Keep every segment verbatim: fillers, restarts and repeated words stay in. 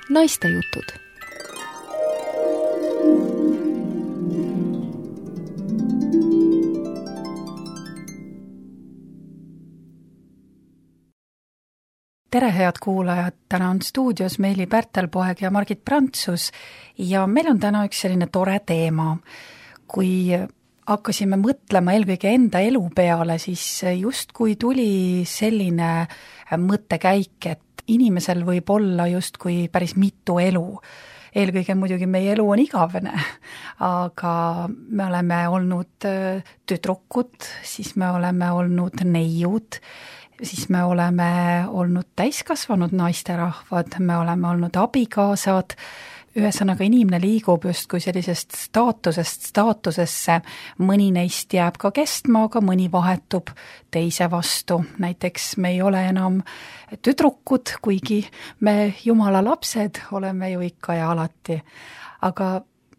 Naistejutud. Tere, head kuulajad! Täna on stuudios Meeli Pärtelpoeg ja Margit Prantsus ja meil on täna üks selline tore teema. Kui hakkasime mõtlema eelkõige enda elu peale, siis justkui tuli selline mõttekäik, et inimesel võib olla justkui päris mitu elu. Eelkõige muidugi meie elu on igavene, aga me oleme olnud tüdrukud, siis me oleme olnud neiud, siis me oleme olnud täiskasvanud naisterahvad, me oleme olnud abikaasad, ühesõnaga inimene liigub justkui sellisest staatusest staatusesse, mõni neist jääb ka kestma, aga mõni vahetub teise vastu. Näiteks me ei ole enam tüdrukud, kuigi me Jumala lapsed oleme ju ikka ja alati. Aga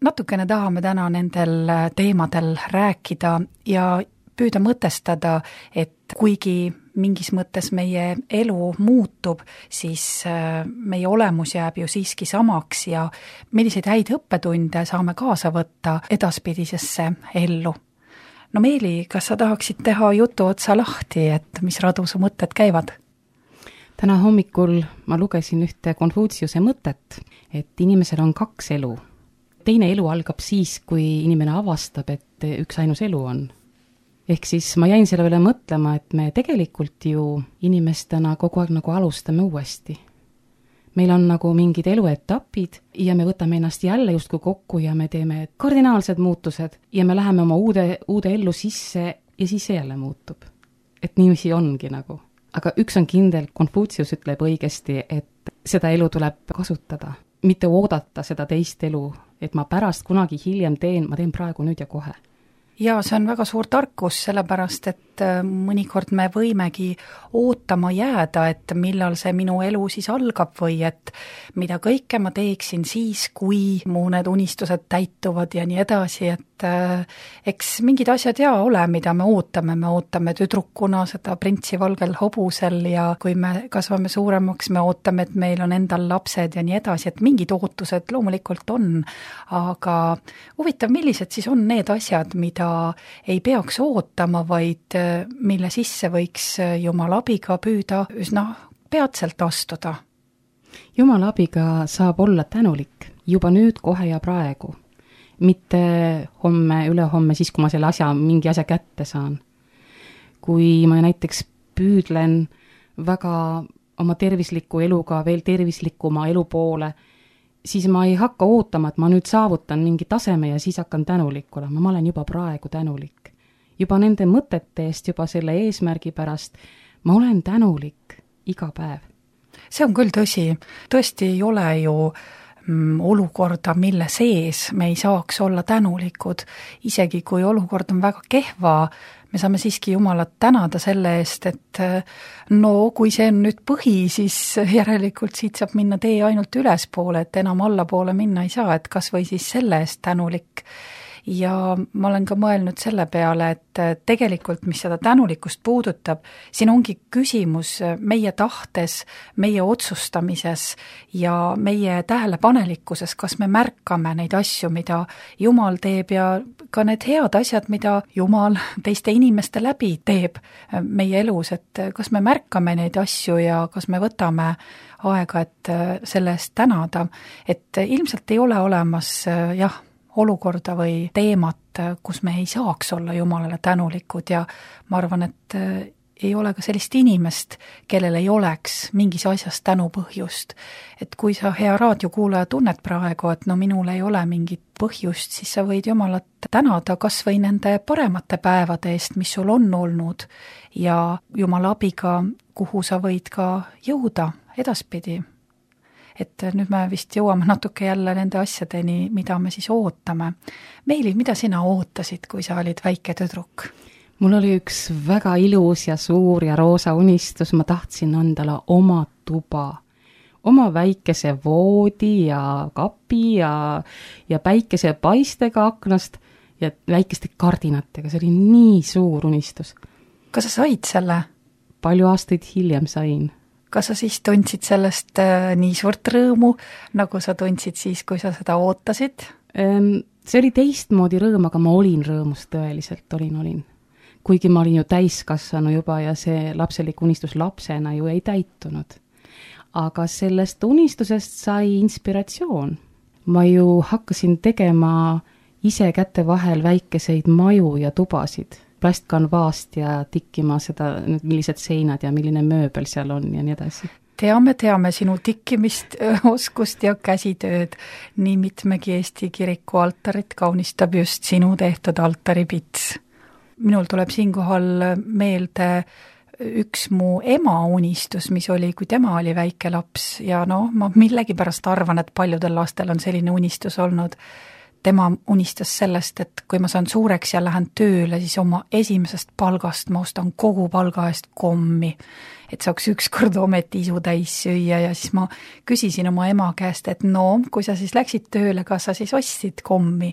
natukene tahame täna nendel teemadel rääkida ja püüda mõtestada, et kuigi mingis mõttes meie elu muutub, siis meie olemus jääb ju siiski samaks ja milliseid häid õppetunde saame kaasa võtta edaspidisesse ellu. No Meeli, kas sa tahaksid teha jutu otsa lahti, et mis radu su mõtted käivad? Täna hommikul ma lugesin ühte Konfutsiuse mõtet, et inimesel on kaks elu. Teine elu algab siis, kui inimene avastab, et üks ainus elu on. Ehk siis ma jäin selle üle mõtlema, et me tegelikult ju inimestena kogu aeg nagu alustame uuesti. Meil on nagu mingid eluetapid ja me võtame ennast jälle justkui kokku ja me teeme kardinaalsed muutused ja me läheme oma uude, uude ellu sisse ja siis see jälle muutub. Et niiviisi ongi nagu. Aga üks on kindel, Konfutsius ütleb õigesti, et seda elu tuleb kasutada. Mitte oodata seda teist elu, et ma pärast kunagi hiljem teen, ma teen praegu nüüd ja kohe. Ja see on väga suur tarkus, sellepärast, et mõnikord me võimegi ootama jääda, et millal see minu elu siis algab või et mida kõike ma teeksin siis, kui mu need unistused täituvad ja nii edasi, et eks mingid asjad ja ole, mida me ootame. Me ootame tüdrukuna seda printsi valgel hobusel ja kui me kasvame suuremaks, me ootame, et meil on endal lapsed ja nii edasi, et mingid ootused loomulikult on, aga huvitav, millised siis on need asjad, mida ei peaks ootama, vaid mille sisse võiks Jumala abiga püüda üsna peatselt astuda. Jumala abiga saab olla tänulik juba nüüd, kohe ja praegu. Mitte homme, ülehomme, siis kui ma selle asja, mingi asja kätte saan. Kui ma näiteks püüdlen väga oma tervisliku eluga veel tervislikuma elu poole, siis ma ei hakka ootama, et ma nüüd saavutan mingi taseme ja siis hakkan tänulik olema. Ma olen juba praegu tänulik. Juba nende mõtete eest, juba selle eesmärgi pärast, ma olen tänulik iga päev. See on küll tõsi. Tõesti ei ole ju mm, olukorda, mille sees me ei saaks olla tänulikud. Isegi kui olukord on väga kehva, me saame siiski Jumalat tänada selle eest, et no kui see on nüüd põhi, siis järelikult siit saab minna tee ainult ülespoole, et enam allapoole minna ei saa, et kas või siis selle eest tänulik. Ja ma olen ka mõelnud selle peale, et tegelikult, mis seda tänulikkust puudutab, siin ongi küsimus meie tahtes, meie otsustamises ja meie tähelepanelikkuses, kas me märkame neid asju, mida Jumal teeb ja ka need head asjad, mida Jumal teiste inimeste läbi teeb meie elus, et kas me märkame neid asju ja kas me võtame aega, et selle eest tänada, et ilmselt ei ole olemas, jah, olukorda või teemat, kus me ei saaks olla Jumalale tänulikud ja ma arvan, et ei ole ka sellist inimest, kellel ei oleks mingis asjas tänupõhjust. Et kui sa, hea raadiokuulaja, tunned praegu, et no minul ei ole mingit põhjust, siis sa võid Jumalat tänada kas või nende paremate päevade eest, mis sul on olnud ja Jumala abiga, kuhu sa võid ka jõuda edaspidi. Et nüüd me vist jõuame natuke jälle nende asjadeni, mida me siis ootame. Meeli, mida sina ootasid, kui sa olid väike tüdruk? Mul oli üks väga ilus ja suur ja roosa unistus, ma tahtsin endale oma tuba, oma väikese voodi ja kapi ja, ja päikese paistega aknast ja väikeste kardinatega, see oli nii suur unistus. Kas sa said selle? Palju aastaid hiljem sain. kas sa siis tundsid sellest nii suurt rõõmu, nagu sa tundsid siis, kui sa seda ootasid? See oli teistmoodi rõõm, aga ma olin rõõmus tõeliselt, olin, olin. Kuigi ma olin ju täiskassanu juba ja see lapselik unistus lapsena ju ei täitunud. Aga sellest unistusest sai inspiratsioon. Ma ju hakkasin tegema ise käte vahel väikeseid maju ja tubasid, plastkanvaast ja tikkima seda, millised seinad ja milline mööbel seal on ja nii edasi. Teame, teame sinu tikkimist, oskust ja käsitööd. Nii mitmegi Eesti kiriku altarit kaunistab just sinu tehtud altaripits. Minul tuleb siinkohal meelde üks mu ema unistus, mis oli, kui tema oli väike laps ja no, ma millegipärast arvan, et paljudel lastel on selline unistus olnud. Tema unistas sellest, et kui ma saan suureks ja lähen tööle, siis oma esimesest palgast ma ostan kogu palga eest kommi, et saaks ükskord ometi isu täis süüa ja siis ma küsisin oma ema käest, et no, kui sa siis läksid tööle, kas sa siis ostsid kommi?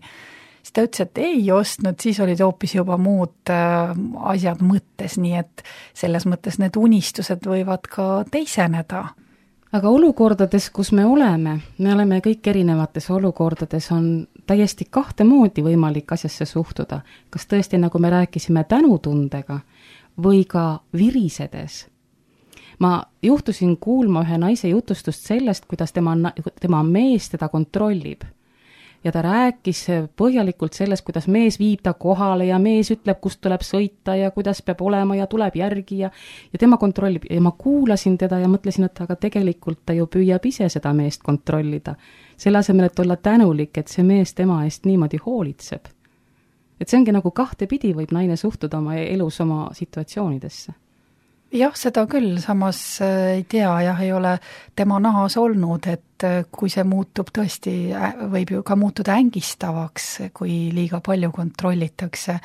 Siis ta ütles, et ei ostnud, siis olid hoopis juba muud äh, asjad mõttes, nii et selles mõttes need unistused võivad ka teiseneda. Aga olukordades, kus me oleme, me oleme kõik erinevates olukordades, on täiesti kahte moodi võimalik asjasse suhtuda. Kas tõesti, nagu me rääkisime, tänutundega või ka virisedes. Ma juhtusin kuulma ühe naise jutustust sellest, kuidas tema, tema mees teda kontrollib. Ja ta rääkis põhjalikult sellest, kuidas mees viib ta kohale ja mees ütleb, kust tuleb sõita ja kuidas peab olema ja tuleb järgi ja, ja tema kontrollib. Ja ma kuulasin teda ja mõtlesin, et aga tegelikult ta ju püüab ise seda meest kontrollida. Selle asemel, et olla tänulik, et see mees tema eest niimoodi hoolitseb. Et see ongi nagu kahte pidi võib naine suhtuda oma elus oma situatsioonidesse. Jah, seda küll, samas ei tea, jah, ei ole tema nahas olnud, et kui see muutub tõesti, võib ju ka muutuda ängistavaks, kui liiga palju kontrollitakse.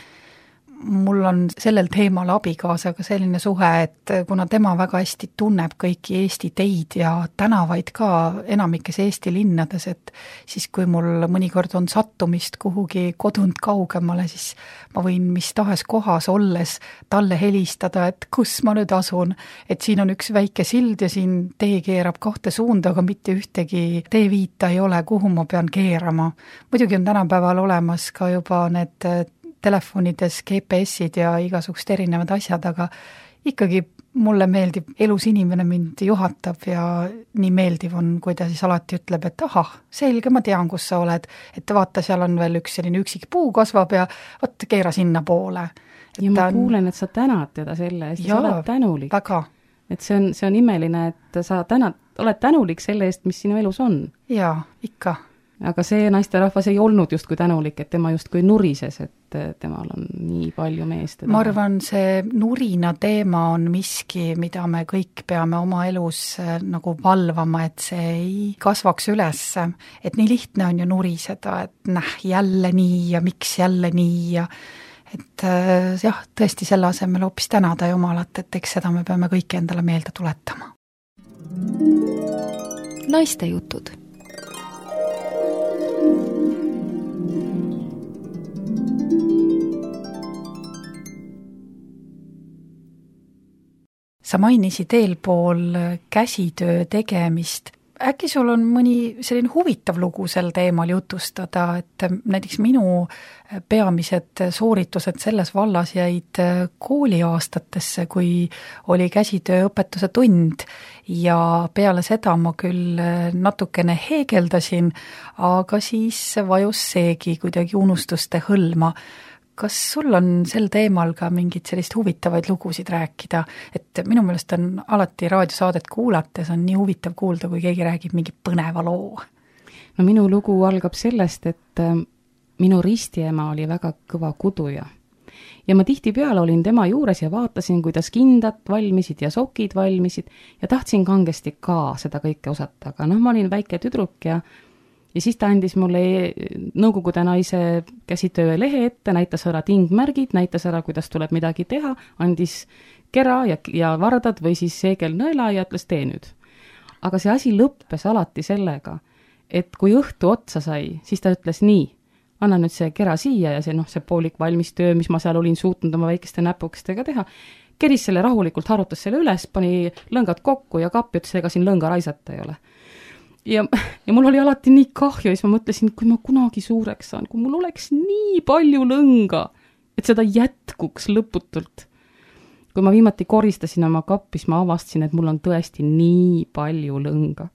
Mul on sellel teemal abikaasaga selline suhe, et kuna tema väga hästi tunneb kõiki Eesti teid ja tänavaid ka enamikes Eesti linnades, et siis kui mul mõnikord on sattumist kuhugi kodunt kaugemale, siis ma võin mis tahes kohas olles talle helistada, et kus ma nüüd asun, et siin on üks väike sild ja siin tee keerab kahte suunda, aga mitte ühtegi teeviita ei ole, kuhu ma pean keerama. Muidugi on tänapäeval olemas ka juba need telefonides G P S-id ja igasugust erinevad asjad, aga ikkagi mulle meeldib, elus inimene mind juhatab ja nii meeldiv on, kui ta siis alati ütleb, et ahah, selge, ma tean, kus sa oled, et vaata, seal on veel üks selline üksik puu kasvab ja võtta keera sinna poole. Ja ma on... kuulen, et sa tänad teda selle eest, sa oled tänulik. Väga. Et see on, see on imeline, et sa tänad, oled tänulik selle eest, mis sinu elus on. Jaa, ikka. Aga see naisterahvas ei olnud just kui tänulik, et tema just kui nurises, et temal on nii palju meest. Ma arvan, see nurina teema on miski, mida me kõik peame oma elus nagu valvama, et see ei kasvaks üles. Et nii lihtne on ju nuriseda, et näh, jälle nii ja miks jälle nii ja et jah, tõesti selle asemel hoopis tänada Jumalat, et eks seda me peame kõik endale meelde tuletama. Naiste jutud. Sa mainisid eelpool käsitöö tegemist. Äkki sul on mõni selline huvitav lugu sel teemal jutustada, et näiteks minu peamised sooritused selles vallas jäid kooliaastatesse, kui oli käsitööõpetuse tund ja peale seda ma küll natukene heegeldasin, aga siis vajus seegi kuidagi unustuste hõlma. Kas sul on sel teemal ka mingid sellist huvitavaid lugusid rääkida? Et minu meelest on alati raadiosaadet kuulates on nii huvitav kuulda, kui keegi räägib mingi põneva loo. No minu lugu algab sellest, et minu ristiema oli väga kõva kuduja. Ja ma tihtipeale olin tema juures ja vaatasin, kuidas kindad valmisid ja sokid valmisid ja tahtsin kangesti ka seda kõike osata. Aga noh, ma olin väike tüdruk ja Ja siis ta andis mulle nõukogude naise käsitöö lehe ette, näitas ära tingmärgid, näitas ära, kuidas tuleb midagi teha, andis kera ja, ja vardad või siis seegelnõela ja ütles tee nüüd. Aga see asi lõppes alati sellega, et kui õhtu otsa sai, siis ta ütles nii, anna nüüd see kera siia ja see, noh, see poolik valmis töö, mis ma seal olin suutnud oma väikeste näpukestega teha, keris selle rahulikult, harutas selle üles, pani lõngad kokku ja kappi, ütles, ega siin lõnga raisata ei ole. Ja, ja mul oli alati nii kahju ja siis ma mõtlesin, kui ma kunagi suureks saan, kui mul oleks nii palju lõnga, et seda jätkuks lõputult. Kui ma viimati koristasin oma kappi, siis ma avastasin, et mul on tõesti nii palju lõnga,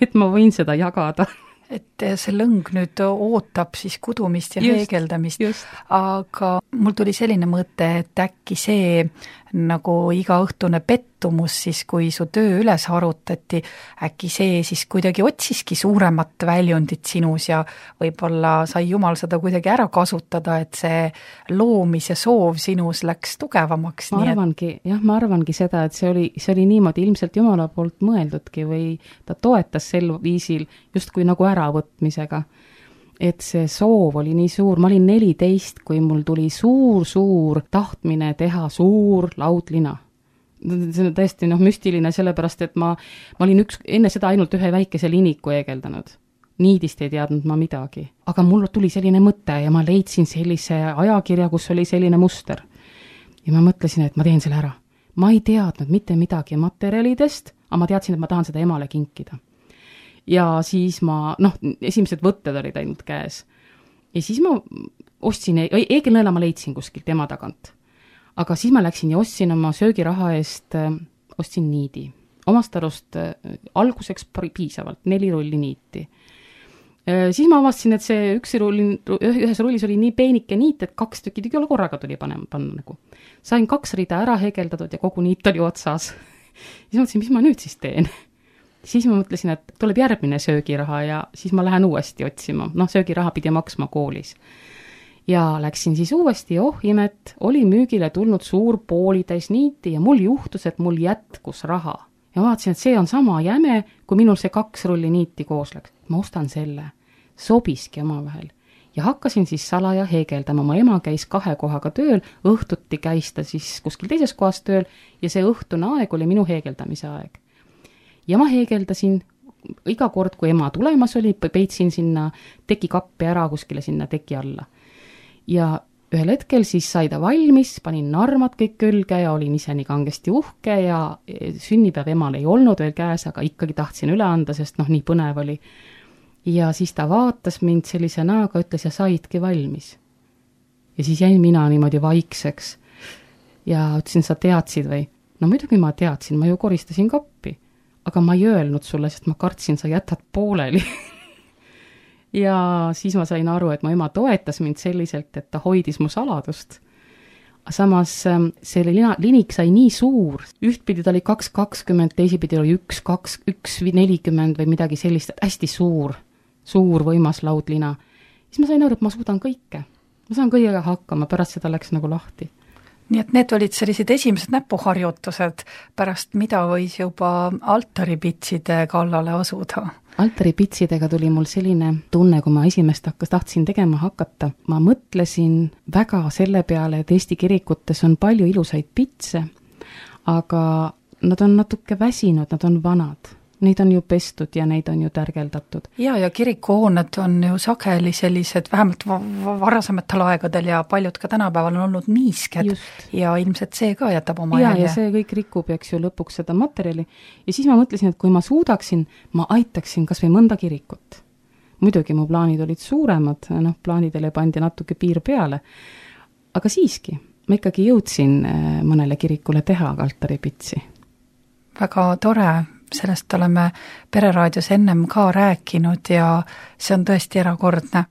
et ma võin seda jagada. Et see lõng nüüd ootab siis kudumist ja just, heegeldamist, just. Aga mul tuli selline mõte, et äkki see nagu igaõhtune pettumus siis, kui su töö üles harutati, äkki see siis kuidagi otsiski suuremat väljundit sinus ja võib-olla sai Jumal seda kuidagi ära kasutada, et see loomise soov sinus läks tugevamaks. Ma arvangi, et... jah, ma arvangi seda, et see oli, see oli niimoodi ilmselt Jumala poolt mõeldudki või ta toetas sel viisil justkui nagu äravõtmisega. Et see soov oli nii suur, ma olin neliteist, kui mul tuli suur-suur tahtmine teha suur laudlina. See on tõesti noh, müstiline, sellepärast, et ma, ma olin üks, enne seda ainult ühe väikese liniku eegeldanud. Niidist ei teadnud ma midagi. Aga mul tuli selline mõte ja ma leidsin sellise ajakirja, kus oli selline muster. Ja ma mõtlesin, et ma teen selle ära. Ma ei teadnud mitte midagi materjalidest, aga ma teadsin, et ma tahan seda emale kinkida. Ja siis ma, noh, esimesed võtted olid ainult käes. Ja siis ma ostsin, eegelnõela ma leidsin kuskilt ema tagant. Aga siis ma läksin ja ostsin oma söögiraha eest, ostsin niidi. Omast arust alguseks piisavalt, neli rulli niiti. Siis ma avastasin, et see üks rulli, ühes rullis oli nii peenike niit, et kaks tükki tükki korraga tuli panema, panna nagu. Sain kaks rida ära hegeldatud ja kogu niit oli otsas. Siis mõtlesin, mis ma nüüd siis teen? Siis ma mõtlesin, et tuleb järgmine söögiraha ja siis ma lähen uuesti otsima. Noh, söögiraha pidi maksma koolis. Ja läksin siis uuesti, oh imet, oli müügile tulnud suur poolitäis niiti ja mul juhtus, et mul jätkus raha. Ja ma vaatasin, et see on sama jäme, kui minul see kaks rulli niiti koos läks. Ma ostan selle. Sobiski omavahel. Ja hakkasin siis salaja heegeldama. Ma ema käis kahe kohaga tööl, õhtuti käis ta siis kuskil teises kohas tööl ja see õhtune aeg oli minu heegeldamise aeg. Ja ma heegeldasin iga kord, kui ema tulemas oli, peitsin sinna tekikappi ära kuskile sinna teki alla. Ja ühel hetkel siis sai ta valmis, panin narmad kõik külge ja olin ise nii kangesti uhke ja sünnipäev emal ei olnud veel käes, aga ikkagi tahtsin üle anda, sest noh, nii põnev oli. Ja siis ta vaatas mind sellise näoga, ütles ja saidki valmis. Ja siis jäin mina niimoodi vaikseks. Ja ütlesin, sa teadsid või? No muidugi ma teadsin, ma ju koristasin kappi. Aga ma ei öelnud sulle, sest ma kartsin, sa jätad pooleli. Ja siis ma sain aru, et mu ema toetas mind selliselt, et ta hoidis mu saladust. Samas see linik sai nii suur. Ühtpidi ta oli kaks kakskümmend, teisipidi oli üks, kaks, üks, nelikümmend või midagi sellist, hästi suur, suur võimas laudlina. Siis ma sain aru, et ma suudan kõike. Ma saan kõigega hakkama, pärast seda läks nagu lahti. Nii et need olid sellised esimesed näpuharjutused, pärast mida võis juba altaripitside kallale asuda. Altaripitsidega tuli mul selline tunne, kui ma esimest hakkas, tahtsin tegema hakata. Ma mõtlesin väga selle peale, et Eesti kirikutes on palju ilusaid pitse, aga nad on natuke väsinud, nad on vanad. Neid on ju pestud ja neid on ju tärgeldatud. Ja, ja kirikuhooned on ju sageli sellised, vähemalt varasematel aegadel ja paljud ka tänapäeval on olnud niisked. Just. Ja ilmselt see ka jätab oma ja, jälje. Ja see kõik rikub, eks ju, lõpuks seda materjali. Ja siis ma mõtlesin, et kui ma suudaksin, ma aitaksin kas või mõnda kirikut. Muidugi mu plaanid olid suuremad, noh, plaanidele pandi natuke piir peale. Aga siiski, ma ikkagi jõudsin mõnele kirikule teha altaripitsi. Väga tore. Sellest oleme Pereraadios ennem ka rääkinud ja see on tõesti erakordne.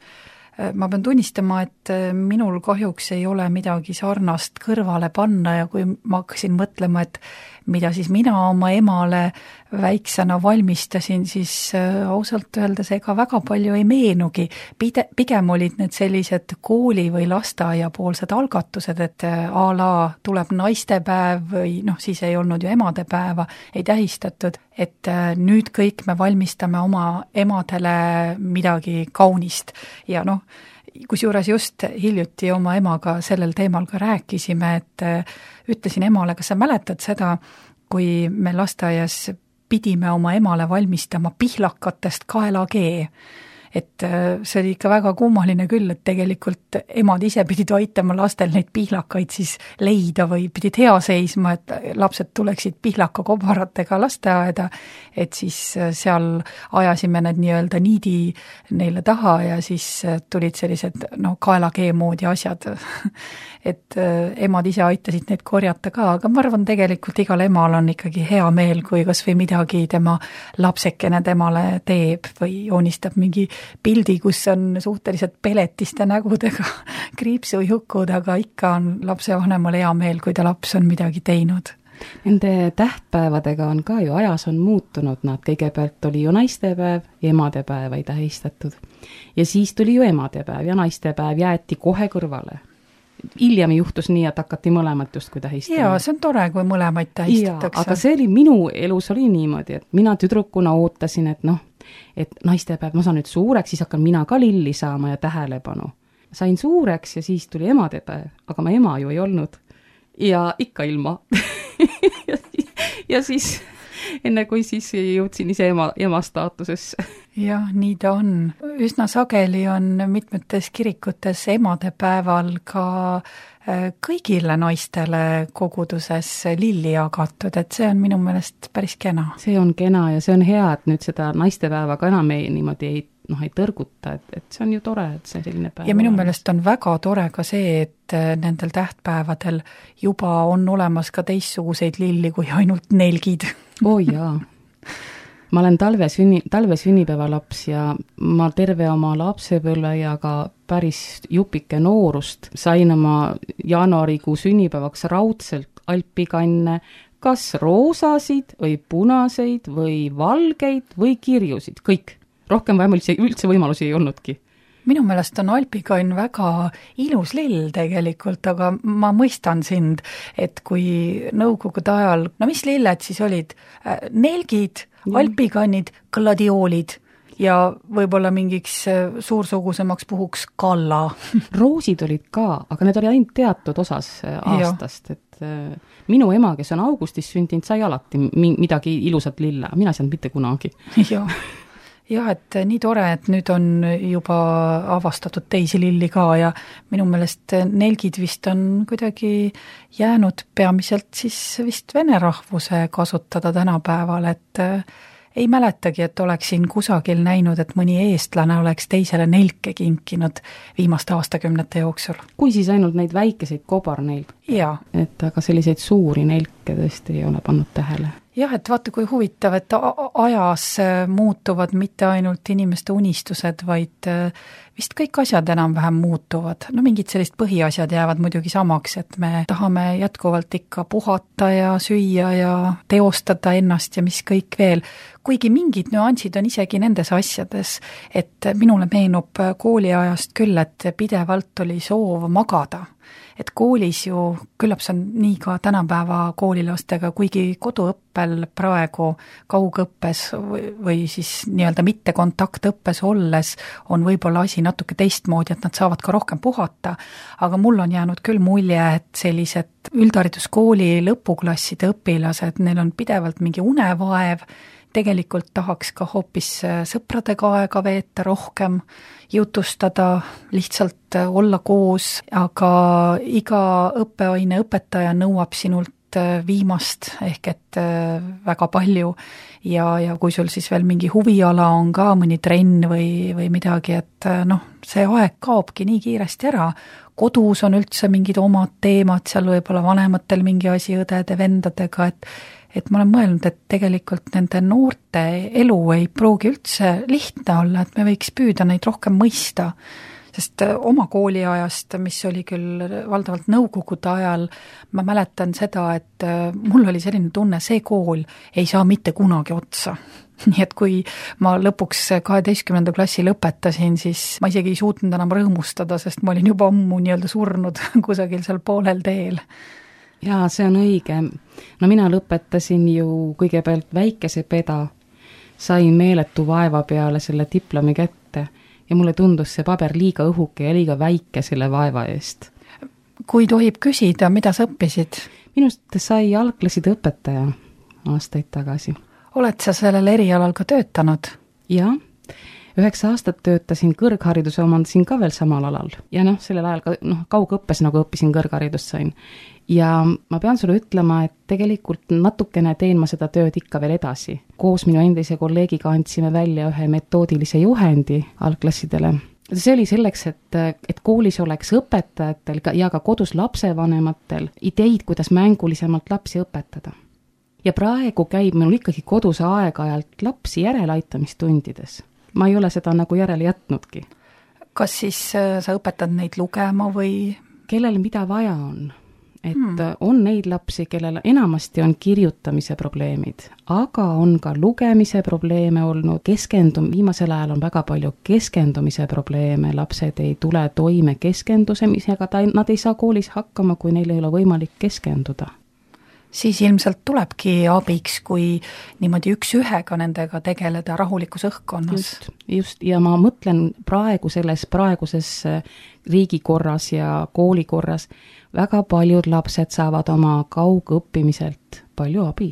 Ma pean tunnistama, et minul kahjuks ei ole midagi sarnast kõrvale panna ja kui ma hakkasin mõtlema, et mida siis mina oma emale väiksena valmistasin, siis ausalt öeldes ega väga palju ei meenugi. Pide, pigem olid need sellised kooli või lasteaia poolsed algatused, et a la tuleb naistepäev või noh, siis ei olnud ju emadepäeva, ei tähistatud, et nüüd kõik me valmistame oma emadele midagi kaunist ja noh, kusjuures just hiljuti oma emaga sellel teemal ka rääkisime, et ütlesin emale, kas sa mäletad seda, kui me lasteaias pidime oma emale valmistama pihlakatest kaelakee. et see oli ikka väga kummaline küll, et tegelikult emad ise pidid aitama lastel neid pihlakaid siis leida või pidid hea seisma, et lapsed tuleksid pihlakakobaratega lasteaeda, et siis seal ajasime need nii-öelda niidi neile taha ja siis tulid sellised no kaelakee moodi asjad, et emad ise aitasid neid korjata ka, aga ma arvan, tegelikult igal emal on ikkagi hea meel, kui kas või midagi tema lapsekene temale teeb või joonistab mingi pildi, kus on suhteliselt peletiste nägudega kriipsujukud, aga ikka on lapsevanemal hea meel, kui ta laps on midagi teinud. Nende tähtpäevadega on ka ju ajas on muutunud, nad kõigepealt oli ju naistepäev, emadepäeva ei tähistatud. Ja siis tuli ju emadepäev ja naistepäev jäeti kohe kõrvale. Hiljem juhtus nii, et hakati mõlemat just kui tähistama. Jaa, see on tore, kui mõlemaid tähistatakse. Aga see oli minu elus oli niimoodi, et mina tüdrukuna ootasin, et noh, et naistepäev, ma saan nüüd suureks, siis hakkan mina ka lilli saama ja tähelepanu. Sain suureks ja siis tuli emadepäev, aga ma ema ju ei olnud. Ja ikka ilma. ja, ja siis, enne kui siis jõudsin ise ema, ema staatusesse. Jah, nii ta on. Üsna sageli on mitmetes kirikutes emadepäeval ka kõigile naistele koguduses lilli jagatud, et see on minu meelest päris kena. See on kena ja see on hea, et nüüd seda naistepäeva ka enam ei, niimoodi ei, noh, ei tõrguta, et, et see on ju tore, et see selline päev. Ja minu meelest on väga tore ka see, et nendel tähtpäevadel juba on olemas ka teistsuguseid lilli kui ainult nelgid. Oo jaa. Ma olen talve, sünni, talve sünnipäeva laps ja ma terve oma lapsepõlve ja ka päris jupike noorust sain oma jaanuarikuu sünnipäevaks raudselt alpikanne, kas roosasid või punaseid või valgeid või kirjusid, kõik. Rohkem vähem üldse, üldse võimalusi ei olnudki. Minu meelest on alpikann väga ilus lill tegelikult, aga ma mõistan sind, et kui nõukogude ajal, no mis lilled siis olid? Nelgid, alpikannid, gladioolid ja võib-olla mingiks suursugusemaks puhuks kalla. Roosid olid ka, aga need oli ainult teatud osas aastast, ja. Et minu ema, kes on augustis sündinud, sai alati midagi ilusat lilla, mina ei saanud mitte kunagi. Jah. Jah, et nii tore, et nüüd on juba avastatud teisi lilli ka ja minu meelest nelgid vist on kuidagi jäänud peamiselt siis vist vene rahvuse kasutada tänapäeval, et ei mäletagi, et oleksin kusagil näinud, et mõni eestlane oleks teisele nelke kinkinud viimaste aastakümnete jooksul. Kui siis ainult neid väikeseid kobarneilke? Jaa. Et aga selliseid suuri nelke tõesti ei ole pannud tähele. Jah, et vaata kui huvitav, et ajas muutuvad mitte ainult inimeste unistused, vaid vist kõik asjad enam-vähem muutuvad. No mingid sellist põhiasjad jäävad muidugi samaks, et me tahame jätkuvalt ikka puhata ja süüa ja teostada ennast ja mis kõik veel. Kuigi mingid nüansid on isegi nendes asjades, et minule meenub kooliajast küll, et pidevalt oli soov magada. Et koolis ju, küllap see on nii ka tänapäeva koolilastega, kuigi koduõppel praegu kaugõppes või, või siis nii-öelda mitte kontaktõppes olles on võib-olla asi natuke teistmoodi, et nad saavad ka rohkem puhata, aga mul on jäänud küll mulje, et sellised üldhariduskooli lõpuklasside õpilased, neil on pidevalt mingi unevaev, tegelikult tahaks ka hoopis sõpradega aega veeta rohkem, jutustada, lihtsalt olla koos, aga iga õppeaine õpetaja nõuab sinult viimast ehk et väga palju ja, ja kui sul siis veel mingi huviala on ka, mõni trenn või, või midagi, et noh, see aeg kaobki nii kiiresti ära. Kodus on üldse mingid omad teemad, seal võib-olla vanematel mingi asi õdede, vendadega, et et ma olen mõelnud, et tegelikult nende noorte elu ei pruugi üldse lihtne olla, et me võiks püüda neid rohkem mõista, sest oma kooliajast, mis oli küll valdavalt nõukogude ajal, ma mäletan seda, et mul oli selline tunne, see kool ei saa mitte kunagi otsa. Nii et kui ma lõpuks kaheteistkümnenda klassi lõpetasin, siis ma isegi ei suutnud enam rõõmustada, sest ma olin juba ammu nii-öelda surnud kusagil seal poolel teel. Jaa, see on õige. No mina lõpetasin ju kõigepealt väikese peda, sain meeletu vaeva peale selle diplomi kätte ja mulle tundus see paber liiga õhuke ja liiga väike selle vaeva eest. Kui tohib küsida, mida sa õppisid? Minust sai algklasside õpetaja aastaid tagasi. Oled sa sellel erialal ka töötanud? Jah, üheksa aastat töötasin kõrghariduse, omandasin ka veel samal alal ja noh, sellel ajal ka noh, kaugõppes nagu õppisin, kõrgharidust sain. Ja ma pean sulle ütlema, et tegelikult natukene teen ma seda tööd ikka veel edasi. Koos minu endise kolleegiga andsime välja ühe metoodilise juhendi algklassidele. See oli selleks, et, et koolis oleks õpetajatel ja ka kodus lapsevanematel ideid, kuidas mängulisemalt lapsi õpetada. Ja praegu käib minul ikkagi kodus aeg-ajalt lapsi järeleaitamistundides. Ma ei ole seda nagu järele jätnudki. Kas siis sa õpetad neid lugema või? Kellel mida vaja on. Et hmm. on neid lapsi, kellel enamasti on kirjutamise probleemid, aga on ka lugemise probleeme olnud, keskendum, viimasel ajal on väga palju keskendumise probleeme, lapsed ei tule toime keskendusemisega, nad ei saa koolis hakkama, kui neil ei ole võimalik keskenduda. Siis ilmselt tulebki abiks, kui niimoodi üks ühega nendega tegeleda rahulikus õhkkonnas. Just, just, ja ma mõtlen praegu selles praeguses riigikorras ja koolikorras, väga paljud lapsed saavad oma kaugõppimiselt palju abi.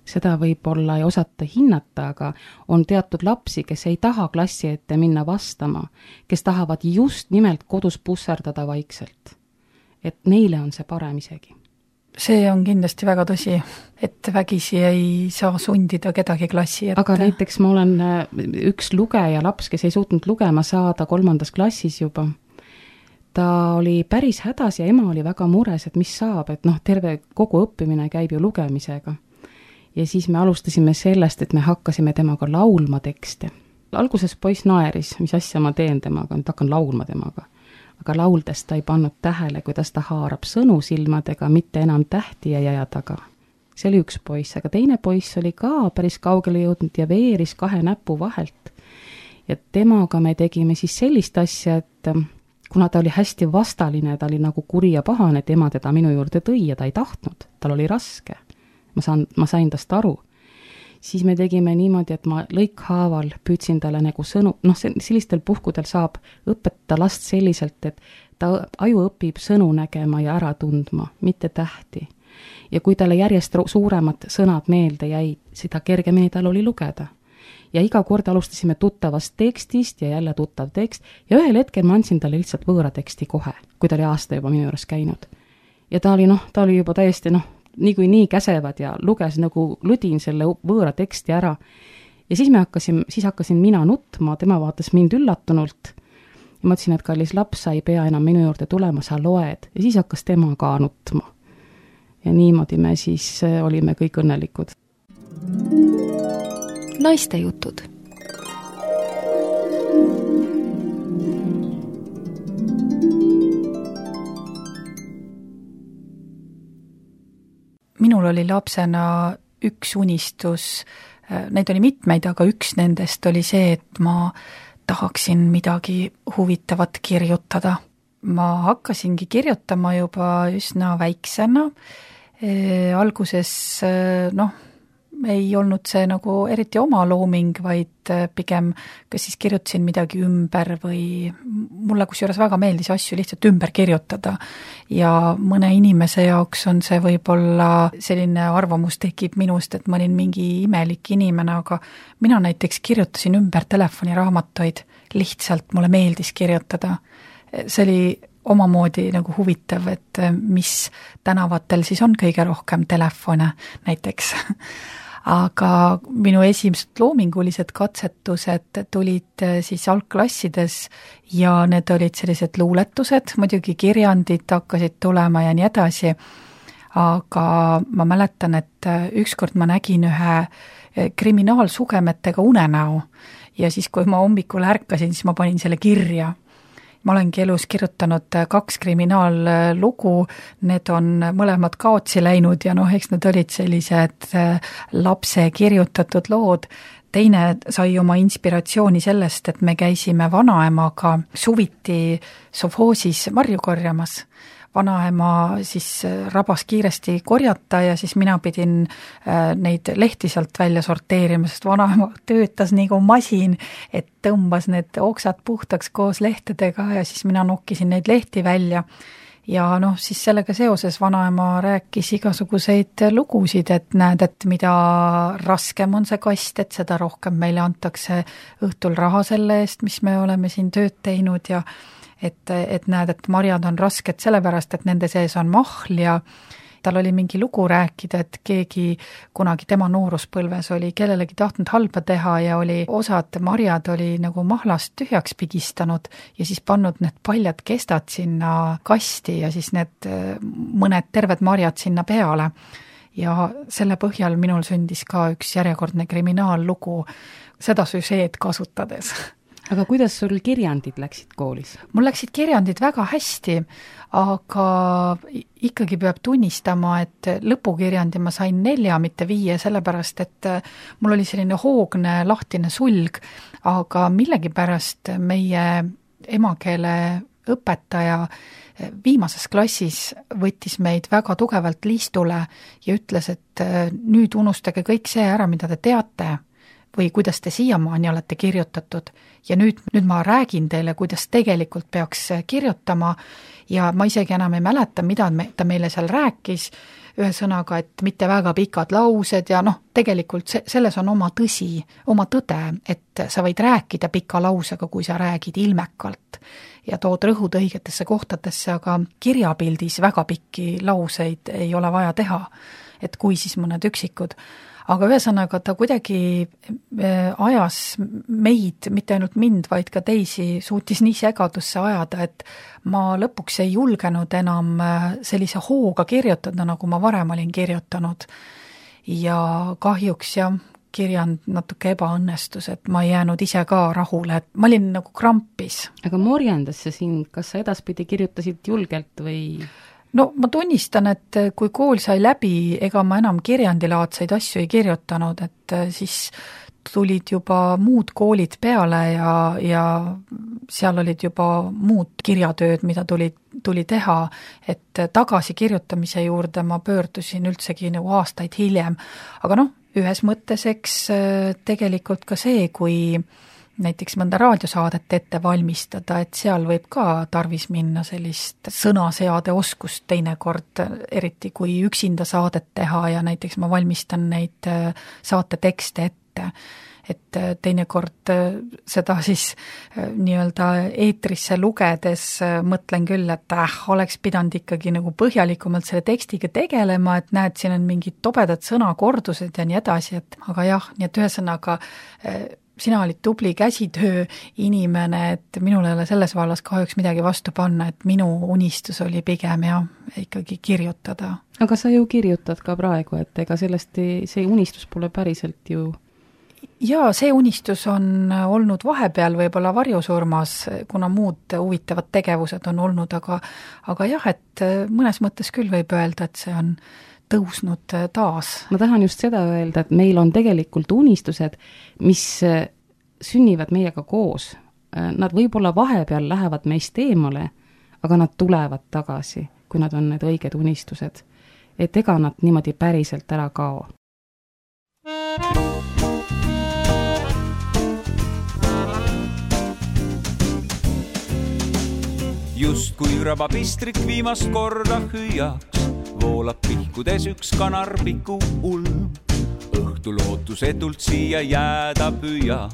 Seda võib-olla ei osata hinnata, aga on teatud lapsi, kes ei taha klassi ette minna vastama, kes tahavad just nimelt kodus pusserdada vaikselt. Et neile on see parem isegi. See on kindlasti väga tõsi, et vägisi ei saa sundida kedagi klassi ette. Aga näiteks ma olen üks lugeja laps, kes ei suutnud lugema saada kolmandas klassis juba. Ta oli päris hädas ja ema oli väga mures, et mis saab, et noh, terve kogu õppimine käib ju lugemisega. Ja siis me alustasime sellest, et me hakkasime temaga laulma tekste. Alguses poiss naeris, mis asja ma teen temaga, nüüd hakkan laulma temaga. Aga lauldes ta ei pannud tähele, kuidas ta haarab sõnu silmadega, mitte enam tähti ja jäja taga. See oli üks poiss, aga teine poiss oli ka päris kaugele jõudnud ja veeris kahe näpu vahelt. Ja temaga me tegime siis sellist asja, et kuna ta oli hästi vastaline, ta oli nagu kuri ja pahane, et ema teda minu juurde tõi ja ta ei tahtnud, tal oli raske. Ma, saan, ma sain tast aru. Siis me tegime niimoodi, et ma lõikhaaval püüdsin talle nagu sõnu, noh, sellistel puhkudel saab õpetada last selliselt, et ta aju õpib sõnu nägema ja ära tundma, mitte tähti. Ja kui talle järjest suuremad sõnad meelde jäid, seda kergemini tal oli lugeda. Ja iga kord alustasime tuttavast tekstist ja jälle tuttav tekst ja ühel hetkel ma andsin talle lihtsalt võõra teksti kohe, kui ta oli aasta juba minu juures käinud. Ja ta oli, noh, ta oli juba täiesti, noh, nii kui nii käsevad ja luges nagu ludin selle võõra teksti ära. Ja siis me hakkasin, siis hakkasin mina nutma, tema vaatas mind üllatunult. Ja ma ütlesin, et kallis laps, sa ei pea enam minu juurde tulema, sa loed. Ja siis hakkas tema ka nutma. Ja niimoodi me siis olime kõik õnnelikud. Naiste jutud. Minul oli lapsena üks unistus, neid oli mitmeid, aga üks nendest oli see, et ma tahaksin midagi huvitavat kirjutada. Ma hakkasingi kirjutama juba üsna väiksena. E, alguses, noh, ei olnud see nagu eriti oma looming, vaid pigem kas siis kirjutasin midagi ümber või mulle kusjuures väga meeldis asju lihtsalt ümber kirjutada. Ja mõne inimese jaoks on see võib-olla selline arvamus tekib minust, et ma olin mingi imelik inimene, aga mina näiteks kirjutasin ümber telefoniraamatuid, lihtsalt mulle meeldis kirjutada. See oli omamoodi nagu huvitav, et mis tänavatel siis on kõige rohkem telefone näiteks. Aga minu esimesed loomingulised katsetused tulid siis algklassides ja need olid sellised luuletused, muidugi kirjandid hakkasid tulema ja nii edasi, aga ma mäletan, et ükskord ma nägin ühe kriminaalsugemetega unenäo ja siis, kui ma hommikul ärkasin, siis ma panin selle kirja. Ma olengi elus kirjutanud kaks kriminaallugu, need on mõlemad kaotsi läinud ja noh, eks need olid sellised lapse kirjutatud lood. Teine sai oma inspiratsiooni sellest, et me käisime vanaemaga suviti sovhoosis marju korjamas. Vanaema siis rabas kiiresti korjata ja siis mina pidin neid lehti sealt välja sorteerima, sest vanaema töötas nagu masin, et tõmbas need oksad puhtaks koos lehtedega ja siis mina nokkisin neid lehti välja. ja noh, siis sellega seoses vanaema rääkis igasuguseid lugusid, et näed, et mida raskem on see kast, et seda rohkem meile antakse õhtul raha selle eest, mis me oleme siin tööd teinud ja et, et näed, et marjad on rasked sellepärast, et nende sees on mahl ja tal oli mingi lugu rääkida, et keegi kunagi tema nooruspõlves oli kellelegi tahtnud halba teha ja oli osad marjad oli nagu mahlast tühjaks pigistanud ja siis pannud need paljad kestad sinna kasti ja siis need mõned terved marjad sinna peale. Ja selle põhjal minul sündis ka üks järjekordne kriminaallugu seda süžeed kasutades. Aga kuidas sul kirjandid läksid koolis? Mul läksid kirjandid väga hästi, aga ikkagi peab tunnistama, et lõpukirjandi ma sain nelja, mitte viie, sellepärast, et mul oli selline hoogne lahtine sulg, aga millegipärast meie emakeele õpetaja viimases klassis võttis meid väga tugevalt liistule ja ütles, et nüüd unustage kõik see ära, mida te teate, või kuidas te siiamaani olete kirjutatud ja nüüd, nüüd ma räägin teile, kuidas tegelikult peaks kirjutama ja ma isegi enam ei mäleta, mida me, ta meile seal rääkis, ühesõnaga, et mitte väga pikad laused ja noh, tegelikult se, selles on oma tõsi, oma tõde, et sa võid rääkida pika lausega, kui sa räägid ilmekalt ja tood rõhud õigetesse kohtadesse, aga kirjapildis väga pikki lauseid ei ole vaja teha, et kui siis mõned üksikud. Aga ühesõnaga ta kuidagi ajas meid, mitte ainult mind, vaid ka teisi, suutis nii segadusse ajada, et ma lõpuks ei julgenud enam sellise hooga kirjutada, nagu ma varem olin kirjutanud. Ja kahjuks jah, kirjand natuke ebaõnnestus, et ma ei jäänud ise ka rahule, et ma olin nagu krampis. Aga morjendas see sind, kas sa edaspidi kirjutasid julgelt või... No ma tunnistan, et kui kool sai läbi, ega ma enam kirjandilaadseid asju ei kirjutanud, et siis tulid juba muud koolid peale ja, ja seal olid juba muud kirjatööd, mida tuli, tuli teha, et tagasi kirjutamise juurde ma pöördusin üldsegi nagu aastaid hiljem. Aga noh, ühes mõttes eks tegelikult ka see, kui näiteks mõnda raadiosaadet ette valmistada, et seal võib ka tarvis minna sellist sõnaseade oskust teinekord, eriti kui üksinda saadet teha ja näiteks ma valmistan neid saate tekste ette, et teinekord seda siis nii-öelda eetrisse lugedes mõtlen küll, et äh, oleks pidanud ikkagi nagu põhjalikumalt selle tekstiga tegelema, et näed, siin on mingid tobedad sõnakordused ja nii edasi, et aga jah, nii et ühesõnaga sina olid tubli käsitöö inimene, et minul ei ole selles vallas kahjuks midagi vastu panna, et minu unistus oli pigem ja ikkagi kirjutada. Aga sa ju kirjutad ka praegu, et ega sellest ei, see unistus pole päriselt ju... Jaa, see unistus on olnud vahepeal võib-olla varjusurmas, kuna muud huvitavad tegevused on olnud, aga, aga jah, et mõnes mõttes küll võib öelda, et see on tõusnud taas. Ma tahan just seda öelda, et meil on tegelikult unistused, mis sünnivad meiega koos. Nad võib-olla vahepeal lähevad meist eemale, aga nad tulevad tagasi, kui nad on need õiged unistused. Et ega nad niimoodi päriselt ära kao. Just kui rabapistrik viimast korda hüüaks, voolab pihkudes üks kanarpiku ulm. Õhtul ootusetult siia jääda püüa,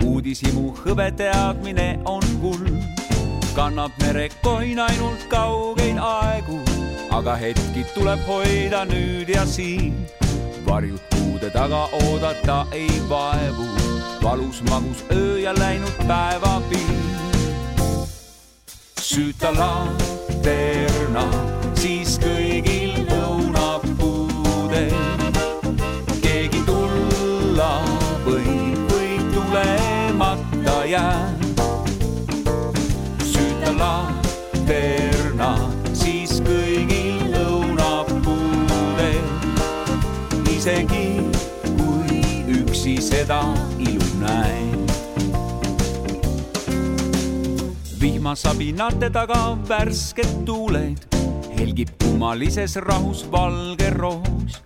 uudisimu hõbe teadmine on kulm. Kannab merekoin ainult kaugeid aegu, aga hetki tuleb hoida nüüd ja siin. Varjud puude taga oodata ei vaevu, valus magus öö ja läinud päeva piir. Süüta lanterna, siis kõigil õunab puude. Keegi tulla võib, või tulemata jää. Süüta lanterna, siis kõigil õunab puude. Isegi kui üksi seda ilu näe. Vihmasabinate taga värsked tuuled, helgib kummalises rahus valge roos.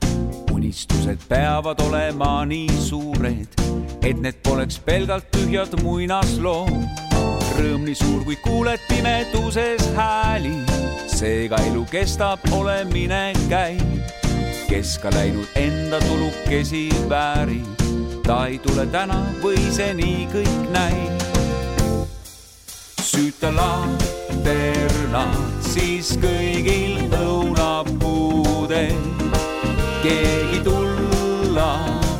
Unistused peavad olema nii suured, et need poleks pelgalt tühjad muinaslood. rõõm nii suur, kui kuuled pimeduses hääli. Seega elu kestab, olemine käib. Kes ka läinud enda tulukesi väärib. Ta ei tule täna või see nii kõik näib. Süüta lanternad, siis kõigil õunapuudel. Keegi tulla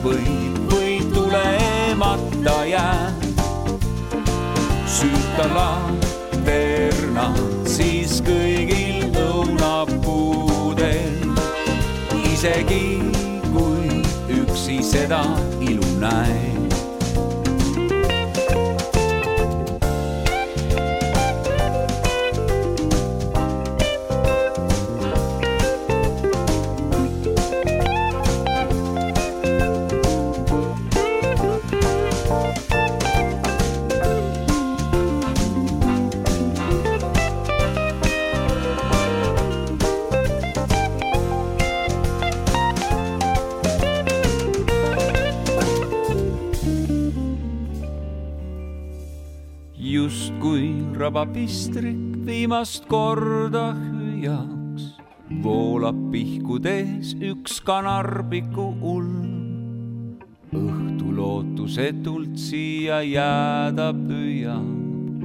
võib, või tulemata jääb. Süüta lanternad, siis kõigil õunapuudel. Isegi kui üksi seda ilu näeb. Just kui rabapistrik viimast korda hüüjaks, voolab pihkudes üks kanarpiku ulm. Õhtu lootusetult siia jääda püüab,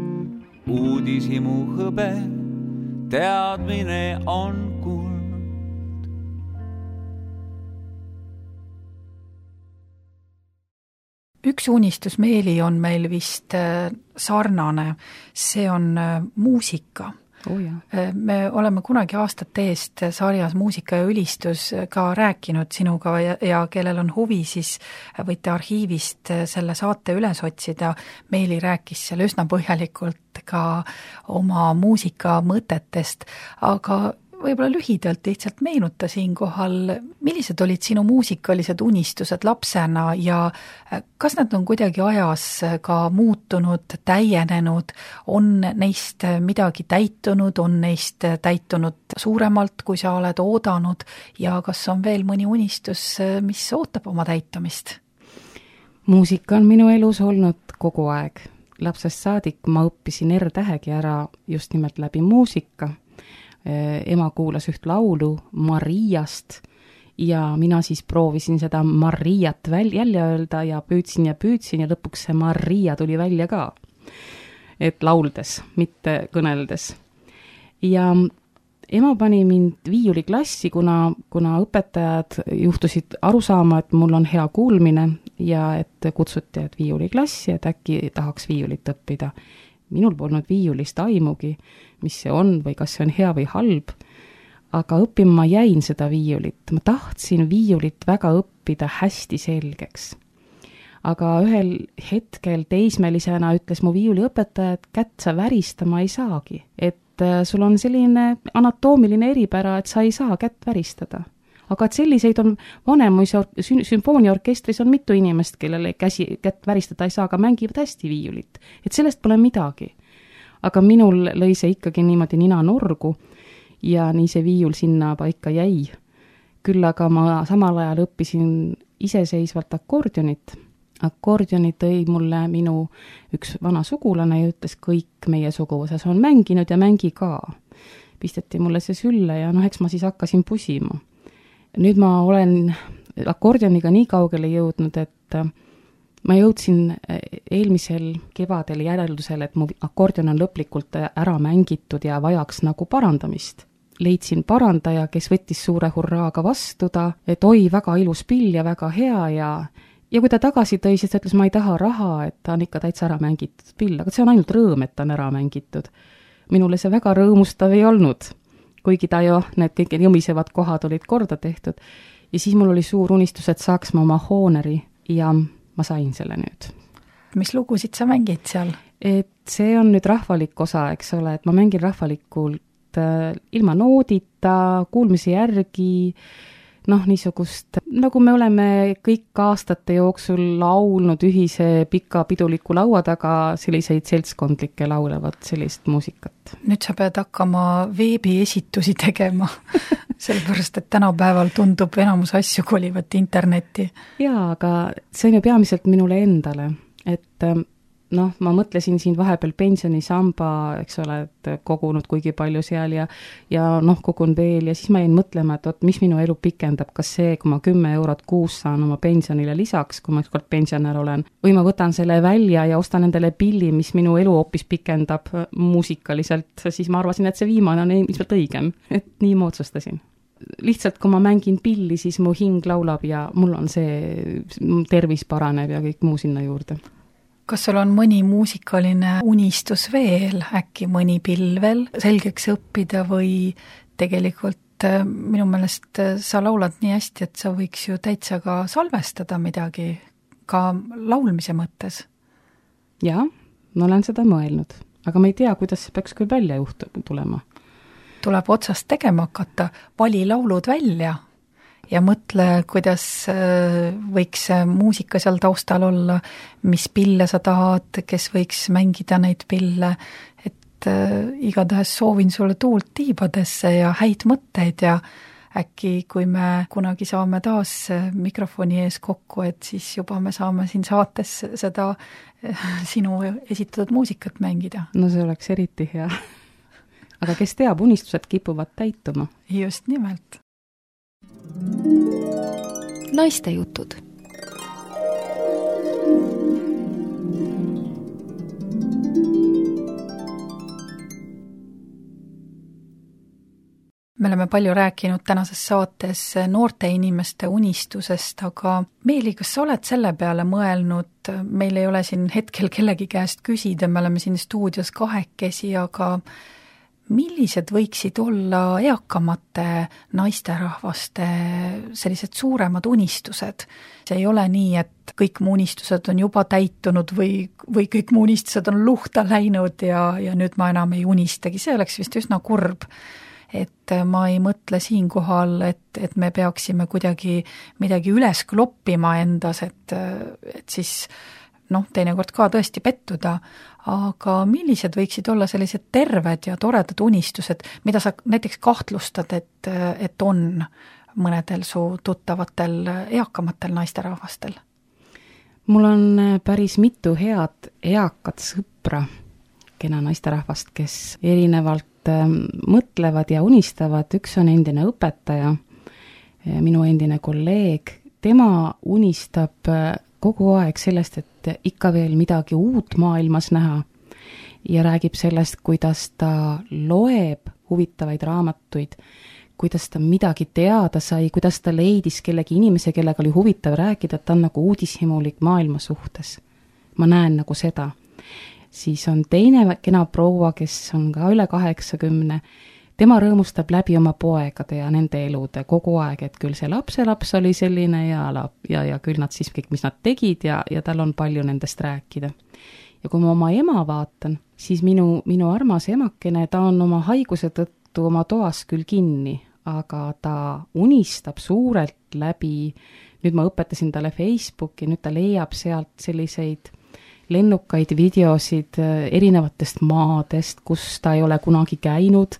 uudishimu hõbe, teadmine on kuld. Üks unistus, Meeli, on meil vist sarnane, see on muusika. Oh, jah. Me oleme kunagi aastate eest sarjas Muusika ja ülistus ka rääkinud sinuga ja, ja kellel on huvi, siis võite arhiivist selle saate üles otsida. Meeli rääkis seal üsna põhjalikult ka oma muusika mõtetest, aga võib-olla lühidalt lihtsalt meenuta siinkohal, millised olid sinu muusikalised unistused lapsena ja kas nad on kuidagi ajas ka muutunud, täienenud, on neist midagi täitunud, on neist täitunud suuremalt, kui sa oled oodanud ja kas on veel mõni unistus, mis ootab oma täitumist? Muusika on minu elus olnud kogu aeg. Lapsest saadik ma õppisin R-tähegi ära just nimelt läbi muusika. Ema kuulas üht laulu Mariast ja mina siis proovisin seda Mariat väl- jälle öelda ja püüdsin ja püüdsin ja lõpuks see Maria tuli välja ka. Et lauldes, mitte kõneldes. Ja ema pani mind viiuliklassi, kuna, kuna õpetajad juhtusid aru saama, et mul on hea kuulmine ja et kutsuti, et viiuliklassi, et äkki tahaks viiulit õppida. Minul polnud viiulist aimugi, mis see on või kas see on hea või halb, aga õppima ma jäin seda viiulit. Ma tahtsin viiulit väga õppida hästi selgeks. Aga ühel hetkel teismelisena ütles mu viiuliõpetaja, et kätt sa väristama ei saagi. Et sul on selline anatoomiline eripära, et sa ei saa kätt väristada. Aga et selliseid on Vanemuise sümfooniaorkestris on mitu inimest, kellele käsi, kätt väristada ei saa, aga mängivad hästi viiulit. Et sellest pole midagi. Aga minul lõi see ikkagi niimoodi nina norgu ja nii see viiul sinna paika jäi. Küll aga ma samal ajal õppisin iseseisvalt akordionit. Akordioni tõi mulle minu üks vana sugulane ja ütles, kõik meie suguvõsas on mänginud ja mängi ka. Pisteti mulle see sülle ja noh, eks ma siis hakkasin pusima. Nüüd ma olen akordioniga nii kaugele jõudnud, et ma jõudsin eelmisel kevadel järeldusele, et mu akordion on lõplikult ära mängitud ja vajaks nagu parandamist. Leidsin parandaja, kes võttis suure hurraaga vastu ta, et oi, väga ilus pill ja väga hea ja ja kui ta tagasi tõi, siis ta ütles, ma ei taha raha, et ta on ikka täitsa ära mängitud pill, aga see on ainult rõõm, et ta on ära mängitud. Minule see väga rõõmustav ei olnud. Kuigi ta ju, need kõik jõmisevad kohad olid korda tehtud. Ja siis mul oli suur unistus, et saaks ma oma hooneri ja ma sain selle nüüd. Mis lugusid sa mängid seal? Et see on nüüd rahvalik osa, eks ole, et ma mängin rahvalikult äh, ilma noodita, kuulmise järgi, noh, niisugust, nagu me oleme kõik aastate jooksul laulnud ühise pika piduliku laua taga selliseid seltskondlikke laulevat sellist muusikat. Nüüd sa pead hakkama veebiesitusi tegema, sellepärast, et tänapäeval tundub enamus asju kolivat internetti. Jaa, aga see on ju peamiselt minule endale, et noh, ma mõtlesin siin vahepeal pensionisamba, eks ole, et kogunud kuigi palju seal ja ja noh, kogun veel ja siis ma jäin mõtlema, et oot, mis minu elu pikendab, kas see, kui ma kümme eurot kuus saan oma pensionile lisaks, kui ma ükskord pensionär olen, või ma võtan selle välja ja ostan endale pilli, mis minu elu hoopis pikendab muusikaliselt, siis ma arvasin, et see viimane on ilmselt õigem, et nii ma otsustasin. Lihtsalt, kui ma mängin pilli, siis mu hing laulab ja mul on see, tervis paraneb ja kõik muu sinna juurde. Kas sul on mõni muusikaline unistus veel, äkki mõni pill veel selgeks õppida või tegelikult minu meelest sa laulad nii hästi, et sa võiks ju täitsa ka salvestada midagi, ka laulmise mõttes? Jaa, ma olen seda mõelnud, aga ma ei tea, kuidas see peaks küll välja juhtu tulema. Tuleb otsast tegema hakata, vali laulud välja ja mõtle, kuidas võiks muusika seal taustal olla, mis pille sa tahad, kes võiks mängida neid pille, et igatahes soovin sulle tuult tiibadesse ja häid mõtteid ja äkki, kui me kunagi saame taas mikrofoni ees kokku, et siis juba me saame siin saates seda sinu esitatud muusikat mängida. No see oleks eriti hea. Aga kes teab, unistused kipuvad täituma. Just nimelt. Naiste jutud. Me oleme palju rääkinud tänases saates noorte inimeste unistusest, aga Meeli, kas sa oled selle peale mõelnud, meil ei ole siin hetkel kellegi käest küsida, me oleme siin stuudios kahekesi, aga millised võiksid olla eakamate naisterahvaste sellised suuremad unistused? See ei ole nii, et kõik mu unistused on juba täitunud või, või kõik mu unistused on luhta läinud ja, ja nüüd ma enam ei unistagi. See oleks vist üsna kurb. Et ma ei mõtle siinkohal, et, et me peaksime kuidagi midagi üles kloppima endas, et, et siis noh, teinekord ka tõesti pettuda, aga millised võiksid olla sellised terved ja toredad unistused, mida sa näiteks kahtlustad, et, et on mõnedel su tuttavatel eakamatel naisterahvastel? Mul on päris mitu head eakat sõpra, kena naisterahvast, kes erinevalt mõtlevad ja unistavad. Üks on endine õpetaja, minu endine kolleeg, tema unistab kogu aeg sellest, et ikka veel midagi uut maailmas näha ja räägib sellest, kuidas ta loeb huvitavaid raamatuid, kuidas ta midagi teada sai, kuidas ta leidis kellegi inimese, kellega oli huvitav rääkida, et ta on nagu uudishimulik maailma suhtes. Ma näen nagu seda. Siis on teine kena proua, kes on ka üle kaheksakümne, tema rõõmustab läbi oma poegade ja nende elude kogu aeg, et küll see lapselaps oli selline ja, ja, ja küll nad siis kõik, mis nad tegid ja, ja tal on palju nendest rääkida. Ja kui ma oma ema vaatan, siis minu, minu armas emakene, ta on oma haiguse tõttu oma toas küll kinni, aga ta unistab suurelt läbi, nüüd ma õpetasin talle Facebooki, nüüd ta leiab sealt selliseid lennukaid videosid erinevatest maadest, kus ta ei ole kunagi käinud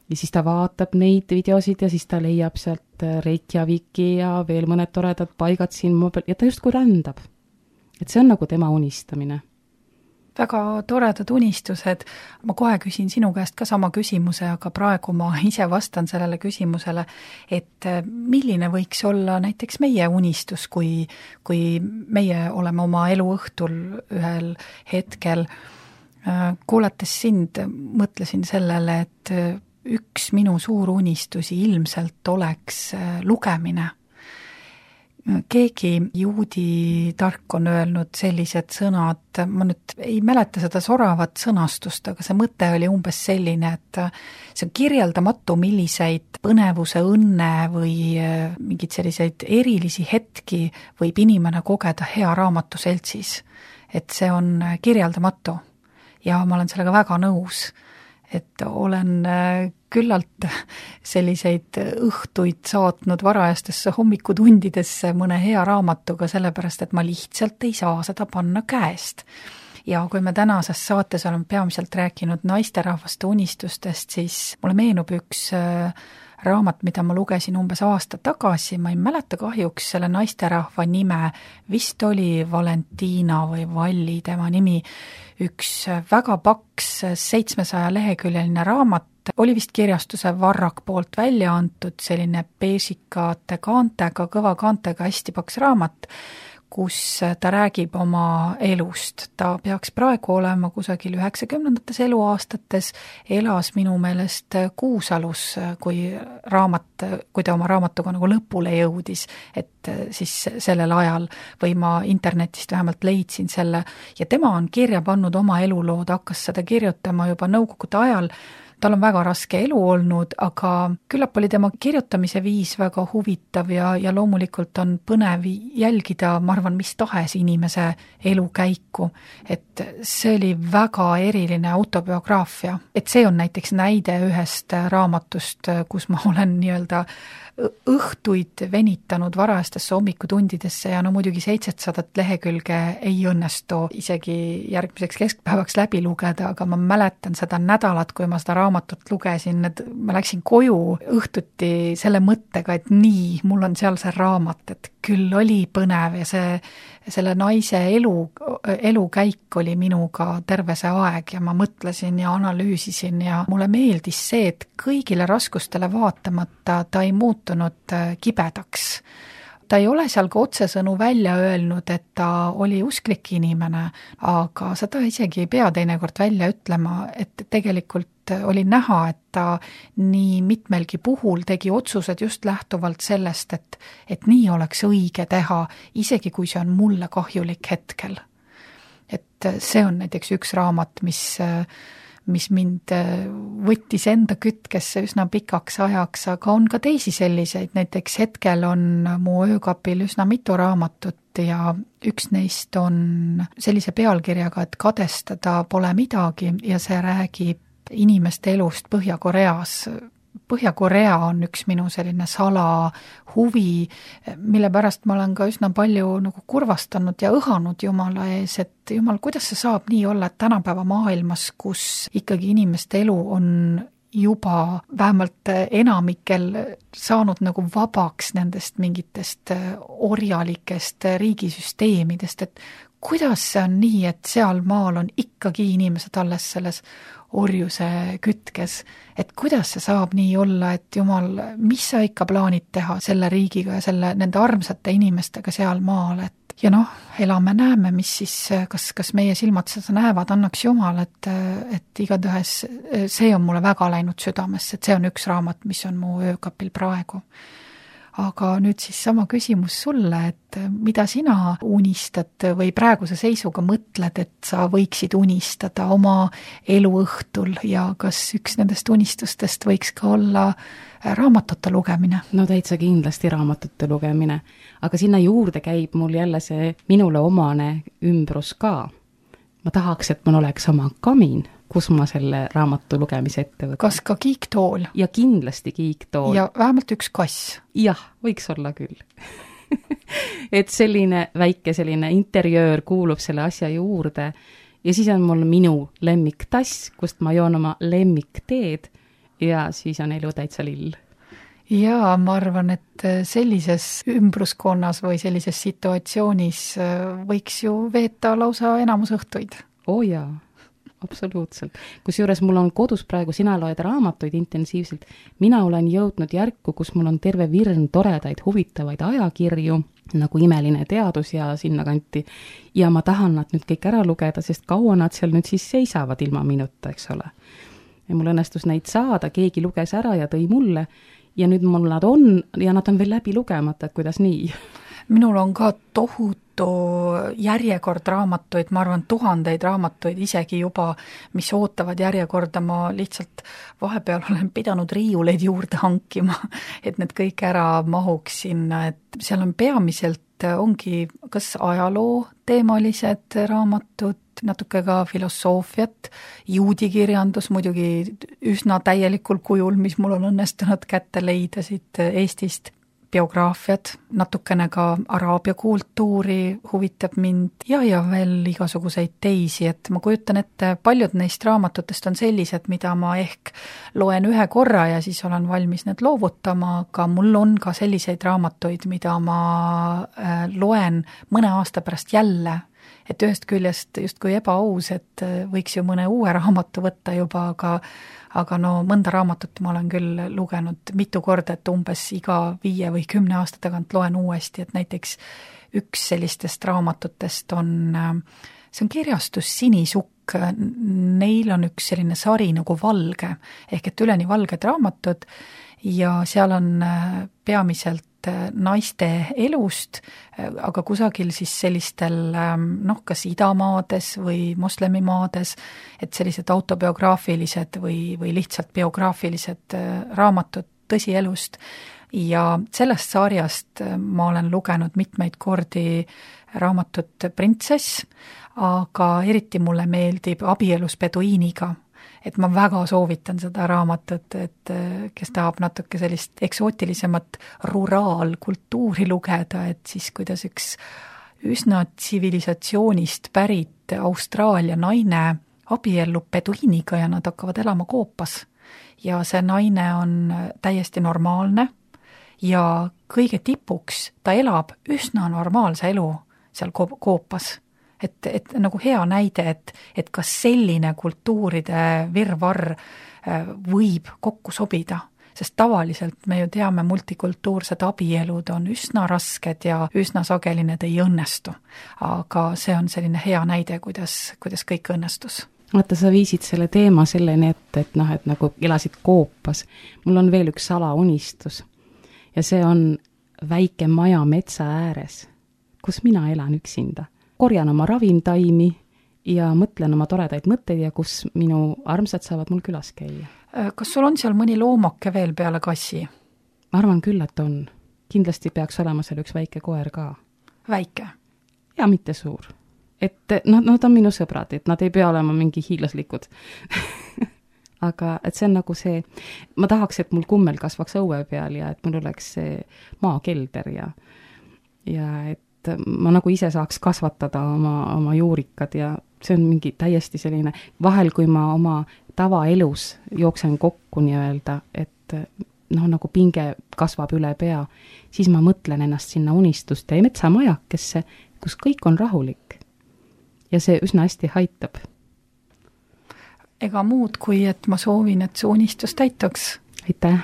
ja siis ta vaatab neid videosid ja siis ta leiab sealt Reykjaviki ja veel mõned toredad paigad siin ja ta justkui rändab. Et see on nagu tema unistamine. Väga toredad unistused. Ma kohe küsin sinu käest ka sama küsimuse, aga praegu ma ise vastan sellele küsimusele, et milline võiks olla näiteks meie unistus, kui, kui meie oleme oma eluõhtul ühel hetkel. Kuulates sind, mõtlesin sellele, et üks minu suur unistusi ilmselt oleks lugemine. Keegi juudi tark on öelnud sellised sõnad, ma nüüd ei mäleta seda soravat sõnastust, aga see mõte oli umbes selline, et see on kirjeldamatu, milliseid põnevuse, õnne või mingid selliseid erilisi hetki võib inimene kogeda hea raamatu seltsis. Et see on kirjeldamatu ja ma olen sellega väga nõus. Et olen küllalt selliseid õhtuid saatnud varajastesse hommikutundidesse mõne hea raamatuga, sellepärast, et ma lihtsalt ei saa seda panna käest. Ja kui me tänases saates oleme peamiselt rääkinud naisterahvaste unistustest, siis mulle meenub üks raamat, mida ma lugesin umbes aasta tagasi, ma ei mäleta kahjuks selle naisterahva nime, vist oli Valentina või Valli tema nimi, üks väga paks seitsmesaja leheküljeline raamat, oli vist kirjastuse Varrak poolt välja antud, selline beesikate kaantega, kõva kaantega hästi paks raamat, kus ta räägib oma elust. Ta peaks praegu olema kusagil üheksakümnendates eluaastates, elas minu meelest Kuusalus, kui raamat, kui ta oma raamatuga nagu lõpule jõudis, et siis sellel ajal, või ma internetist vähemalt leidsin selle, ja tema on kirja pannud oma elulood, hakkas seda kirjutama juba nõukogude ajal. Tal on väga raske elu olnud, aga küllap oli tema kirjutamise viis väga huvitav ja, ja loomulikult on põnev jälgida, ma arvan, mis tahes inimese elukäiku. Et see oli väga eriline autobiograafia. Et see on näiteks näide ühest raamatust, kus ma olen nii-öelda õhtuid venitanud varajastesse hommikutundidesse ja no muidugi seitsesadat lehekülge ei õnnestu isegi järgmiseks keskpäevaks läbi lugeda, aga ma mäletan seda nädalat, kui ma seda raamatut lugesin, et ma läksin koju õhtuti selle mõttega, et nii, mul on seal see raamat, et küll oli põnev ja see, selle naise elu, elukäik oli minuga terve see aeg ja ma mõtlesin ja analüüsisin ja mulle meeldis see, et kõigile raskustele vaatamata ta ei muutunud kibedaks. Ta ei ole seal ka otsesõnu välja öelnud, et ta oli usklik inimene, aga seda isegi ei pea teinekord välja ütlema, et tegelikult oli näha, et ta nii mitmelgi puhul tegi otsused just lähtuvalt sellest, et, et nii oleks õige teha, isegi kui see on mulle kahjulik hetkel. Et see on näiteks üks raamat, mis, mis mind võttis enda kütkesse üsna pikaks ajaks, aga on ka teisi selliseid, näiteks hetkel on mu öökapil üsna mitu raamatut ja üks neist on sellise pealkirjaga, et kadestada pole midagi ja see räägib inimeste elust Põhja-Koreas. Põhja-Korea on üks minu selline salahuvi, mille pärast ma olen ka üsna palju nagu kurvastanud ja õhanud Jumala ees, et Jumal, kuidas see saab nii olla, et tänapäeva maailmas, kus ikkagi inimeste elu on juba vähemalt enamikel saanud nagu vabaks nendest mingitest orjalikest riigisüsteemidest, et kuidas see on nii, et seal maal on ikkagi inimesed alles selles orjuse kütkes, et kuidas see saab nii olla, et Jumal, mis sa ikka plaanid teha selle riigiga ja selle, nende armsate inimestega seal maal, et ja noh, elame, näeme, mis siis, kas, kas meie silmad seda näevad, annaks Jumal, et, et igatahes see on mulle väga läinud südamesse, et see on üks raamat, mis on mu öökapil praegu. Aga nüüd siis sama küsimus sulle, et mida sina unistad või praeguse seisuga mõtled, et sa võiksid unistada oma eluõhtul ja kas üks nendest unistustest võiks ka olla raamatute lugemine? No täitsa kindlasti raamatute lugemine, aga sinna juurde käib mul jälle see minule omane ümbrus ka. Ma tahaks, et mul oleks oma kamin, kus ma selle raamatu lugemise ette võtan. Kas ka kiiktool? Ja kindlasti kiiktool. Ja vähemalt üks kass? Jah, võiks olla küll. Et selline väike selline interjöör kuulub selle asja juurde ja siis on mul minu lemmiktass, kust ma joon oma lemmikteed ja siis on elu täitsa lill. Jaa, ma arvan, et sellises ümbruskonnas või sellises situatsioonis võiks ju veeta lausa enamus õhtuid. Oo jaa. Absoluutselt. Kusjuures mul on kodus praegu, sina loed raamatuid intensiivselt, mina olen jõudnud järku, kus mul on terve virn toredaid, huvitavaid ajakirju, nagu Imeline teadus ja sinna kanti, ja ma tahan nad nüüd kõik ära lugeda, sest kaua nad seal nüüd siis seisavad ilma minuta, eks ole. Ja mul õnnestus neid saada, keegi luges ära ja tõi mulle, ja nüüd mul nad on, ja nad on veel läbi lugemata, et kuidas nii? Minul on ka tohutu järjekord raamatuid, ma arvan tuhandeid raamatuid isegi juba, mis ootavad järjekorda, ma lihtsalt vahepeal olen pidanud riiuleid juurde hankima, et need kõik ära mahuks sinna, et seal on peamiselt ongi kas ajaloo teemalised raamatud, natuke ka filosoofiat, juudikirjandus muidugi üsna täielikul kujul, mis mul on õnnestunud kätte leida siit Eestist. biograafiad, natukene ka araabia kultuuri huvitab mind ja, ja veel igasuguseid teisi, et ma kujutan ette, paljud neist raamatutest on sellised, mida ma ehk loen ühe korra ja siis olen valmis need loovutama, aga mul on ka selliseid raamatuid, mida ma loen mõne aasta pärast jälle, et ühest küljest justkui ebaaus, et võiks ju mõne uue raamatu võtta juba, aga aga no mõnda raamatut ma olen küll lugenud mitu korda, et umbes iga viie või kümne aasta tagant loen uuesti, et näiteks üks sellistest raamatutest on, see on kirjastus Sinisukk, neil on üks selline sari nagu Valge, ehk et üleni valged raamatud ja seal on peamiselt naiste elust, aga kusagil siis sellistel noh, kas idamaades või moslemimaades, et sellised autobiograafilised või, või lihtsalt biograafilised raamatud tõsielust ja sellest sarjast ma olen lugenud mitmeid kordi raamatut Printsess, aga eriti mulle meeldib Abielus peduiiniga, et ma väga soovitan seda raamatut, et kes tahab natuke sellist eksootilisemat ruraalkultuuri lugeda, et siis kuidas üks üsna tsivilisatsioonist pärit Austraalia naine abiellub peduiiniga ja nad hakkavad elama koopas. Ja see naine on täiesti normaalne ja kõige tipuks ta elab üsna normaalse elu seal koopas. Et, et nagu hea näide, et, et kas selline kultuuride virvarr võib kokku sobida, sest tavaliselt me ju teame, multikultuursed abielud on üsna rasked ja üsna sageli need ei õnnestu. Aga see on selline hea näide, kuidas, kuidas kõik õnnestus. Vaata, sa viisid selle teema selleni ette, et noh, et nagu elasid koopas. Mul on veel üks salaunistus ja see on väike maja metsa ääres, kus mina elan üksinda. Korjan oma ravimtaimi ja mõtlen oma toredaid mõtteid ja kus minu armsad saavad mul külas käia. Kas sul on seal mõni loomake veel peale kassi? Ma arvan küll, et on. Kindlasti peaks olema seal üks väike koer ka. Väike? Ja mitte suur. Et no, nad on minu sõbrad, et nad ei pea olema mingi hiiglaslikud. Aga et see on nagu see, ma tahaks, et mul kummel kasvaks õue peal ja et mul oleks see maakelder ja, ja et ma nagu ise saaks kasvatada oma, oma juurikad ja see on mingi täiesti selline, vahel kui ma oma tavaelus jooksen kokku nii-öelda, et noh, nagu pinge kasvab üle pea, siis ma mõtlen ennast sinna unistuste ja metsamajakesse, kus kõik on rahulik. Ja see üsna hästi haitab. Ega muud kui, et ma soovin, et see unistus täituks. Aitäh!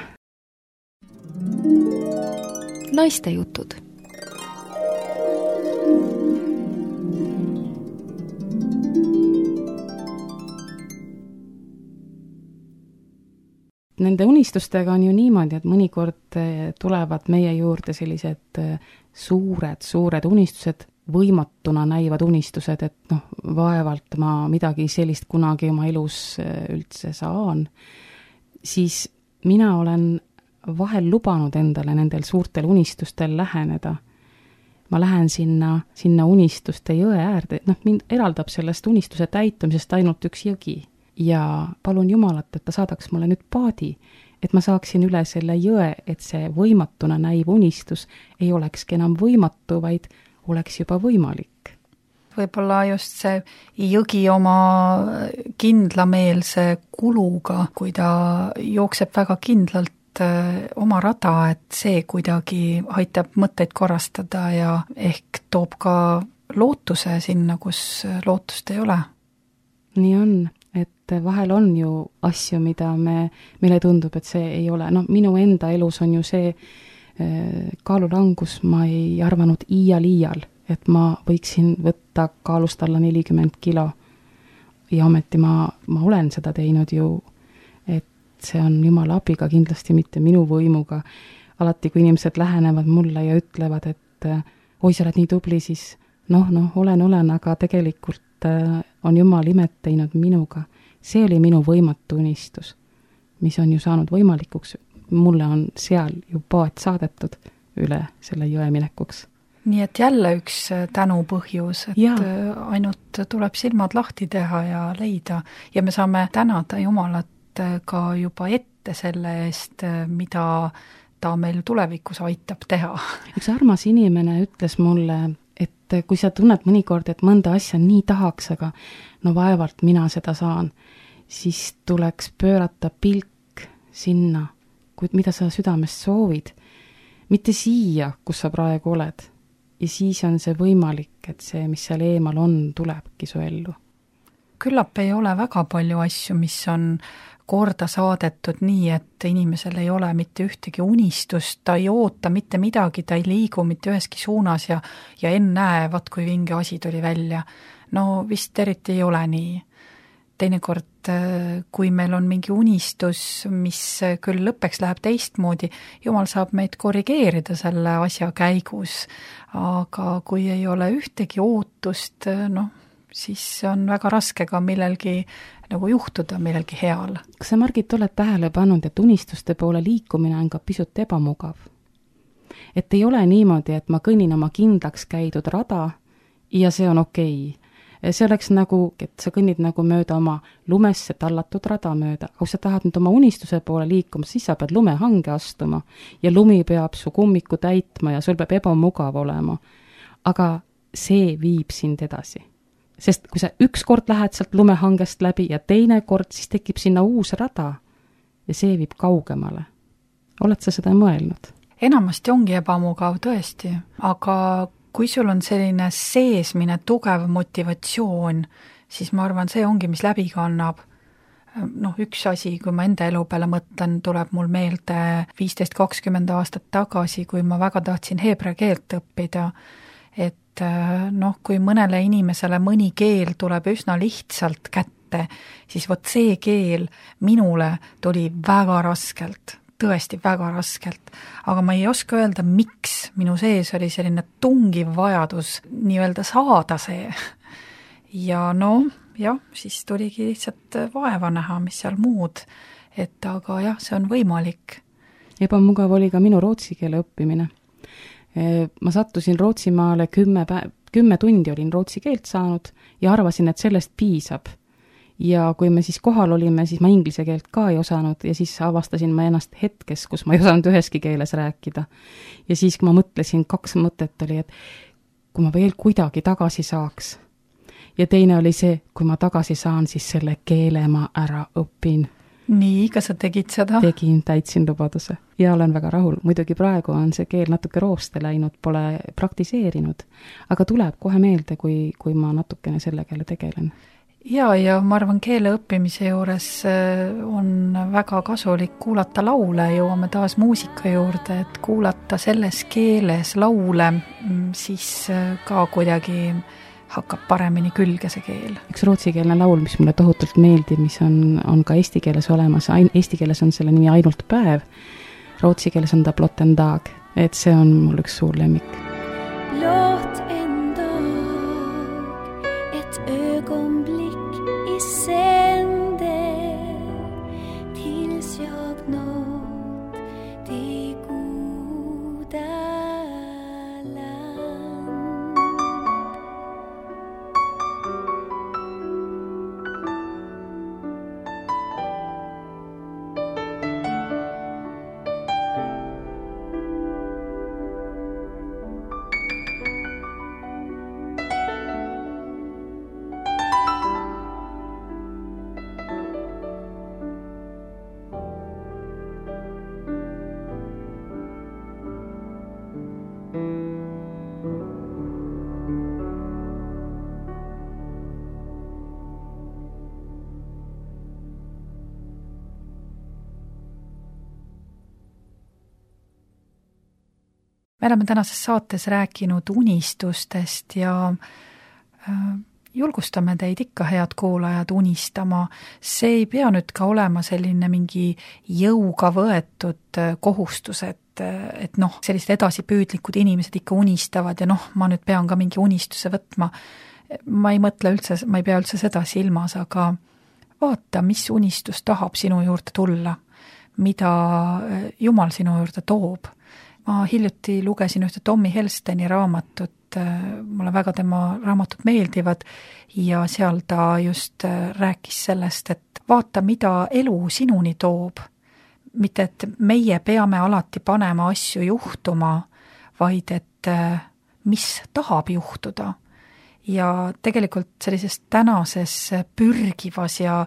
Naiste jutud. Nende unistustega on ju niimoodi, et mõnikord tulevad meie juurde sellised suured, suured unistused, võimatuna näivad unistused, et noh, vaevalt ma midagi sellist kunagi oma elus üldse saan, siis mina olen vahel lubanud endale nendel suurtel unistustel läheneda. Ma lähen sinna, sinna unistuste jõe äärde, noh, mind eraldab sellest unistuse täitumisest ainult üks jõgi. Ja palun Jumalat, et ta saadaks mulle nüüd paadi, et ma saaksin üle selle jõe, et see võimatuna näiv unistus ei olekski enam võimatu, vaid oleks juba võimalik. Võib-olla just see jõgi oma kindlameelse kuluga, kui ta jookseb väga kindlalt oma rada, et see kuidagi aitab mõtteid korrastada ja ehk toob ka lootuse sinna, kus lootust ei ole. Nii on. Et vahel on ju asju, mida me, meile tundub, et see ei ole, no minu enda elus on ju see kaalulangus, ma ei arvanud iial iial, et ma võiksin võtta kaalust alla nelikümmend kilo ja ometi ma, ma olen seda teinud ju, et see on Jumala abiga, kindlasti mitte minu võimuga. Alati, kui inimesed lähenevad mulle ja ütlevad, et oi, sa oled nii tubli, siis noh, noh, olen, olen, aga tegelikult on Jumal imet teinud minuga. See oli minu võimatu unistus, mis on ju saanud võimalikuks. Mulle on seal ju paat saadetud üle selle jõe minekuks. Nii et jälle üks tänu põhjus, et ja. Ainult tuleb silmad lahti teha ja leida. Ja me saame tänada Jumalat ka juba ette selle eest, mida ta meil tulevikus aitab teha. Üks armas inimene ütles mulle, et kui sa tunned mõnikord, et mõnda asja nii tahaks, aga no vaevalt mina seda saan, siis tuleks pöörata pilk sinna, kuid mida sa südamest soovid, mitte siia, kus sa praegu oled. Ja siis on see võimalik, et see, mis seal eemal on, tulebki su ellu. Küllap ei ole väga palju asju, mis on korda saadetud nii, et inimesel ei ole mitte ühtegi unistust, ta ei oota mitte midagi, ta ei liigu mitte üheski suunas ja, ja ennäe, vaat kui vinge asi tuli välja. No vist eriti ei ole nii. Teinekord, kui meil on mingi unistus, mis küll lõppeks läheb teistmoodi, jumal saab meid korrigeerida selle asja käigus, aga kui ei ole ühtegi ootust, noh, siis on väga raske ka millelgi nagu juhtuda, millelgi heal. Kas sa, Margit, oled tähele pannud, et unistuste poole liikumine on ka pisut ebamugav? Et ei ole niimoodi, et ma kõnnin oma kindlaks käidud rada ja see on okei. See oleks nagu, et sa kõnnid nagu mööda oma lumesse tallatud rada mööda. Kui sa tahad nüüd oma unistuse poole liikuma, siis sa pead lumehange astuma ja lumi peab su kummiku täitma ja sul peab ebamugav olema. Aga see viib sind edasi. Sest kui sa üks kord lähed sealt lumehangest läbi ja teine kord, siis tekib sinna uus rada ja see viib kaugemale. Oled sa seda mõelnud? Enamasti ongi ebamugav tõesti, aga kui sul on selline seesmine tugev motivatsioon, siis ma arvan, see ongi, mis läbi kannab. Noh, üks asi, kui ma enda elu peale mõtlen, tuleb mul meelde viisteist kakskümmend aastat tagasi, kui ma väga tahtsin heebrea keelt õppida, et noh, kui mõnele inimesele mõni keel tuleb üsna lihtsalt kätte, siis vot see keel minule tuli väga raskelt. Tõesti väga raskelt, aga ma ei oska öelda, miks minu sees oli selline tungiv vajadus nii-öelda saada see. Ja no, jah, siis tuligi lihtsalt vaeva näha, mis seal muud, et aga jah, see on võimalik. Ebamugav oli ka minu rootsi keele õppimine. Ma sattusin Rootsimaale kümme, päev, kümme tundi olin rootsi keelt saanud ja arvasin, et sellest piisab. Ja kui me siis kohal olime, siis ma inglise keelt ka ei osanud ja siis avastasin ma ennast hetkes, kus ma ei osanud üheski keeles rääkida. Ja siis, kui ma mõtlesin, kaks mõtet oli, et kui ma veel kuidagi tagasi saaks. Ja teine oli see, kui ma tagasi saan, siis selle keele ma ära õpin. Nii, kas sa tegid seda? Tegin, täitsin lubaduse. Ja olen väga rahul. Muidugi praegu on see keel natuke rooste läinud, pole praktiseerinud. Aga tuleb kohe meelde, kui, kui ma natukene selle keele tegelen. Ja, ja ma arvan, keele õppimise juures on väga kasulik kuulata laule, jõuame taas muusika juurde, et kuulata selles keeles laule, siis ka kuidagi hakkab paremini külge see keel. Üks rootsikeelne laul, mis mulle tohutult meeldib, mis on, on ka eesti keeles olemas, eesti keeles on selle nimi Ainult päev, rootsi keeles on ta Blott en dag, et see on mul üks suur lemmik. Blott en dag, et ögonblick sänder tills jag nått det goda land. Me oleme tänases saates rääkinud unistustest ja julgustame teid ikka, head kuulajad, unistama. See ei pea nüüd ka olema selline mingi jõuga võetud kohustus, et, et noh, sellised edasipüüdlikud inimesed ikka unistavad ja noh, ma nüüd pean ka mingi unistuse võtma. Ma ei mõtle üldse, ma ei pea üldse seda silmas, aga vaata, mis unistus tahab sinu juurde tulla, mida Jumal sinu juurde toob. Ma hiljuti lugesin ühte Tommy Helsteni raamatut, mulle väga tema raamatud meeldivad ja seal ta just rääkis sellest, et vaata, mida elu sinuni toob, mitte, et meie peame alati panema asju juhtuma, vaid et mis tahab juhtuda. Ja tegelikult sellises tänases pürgivas ja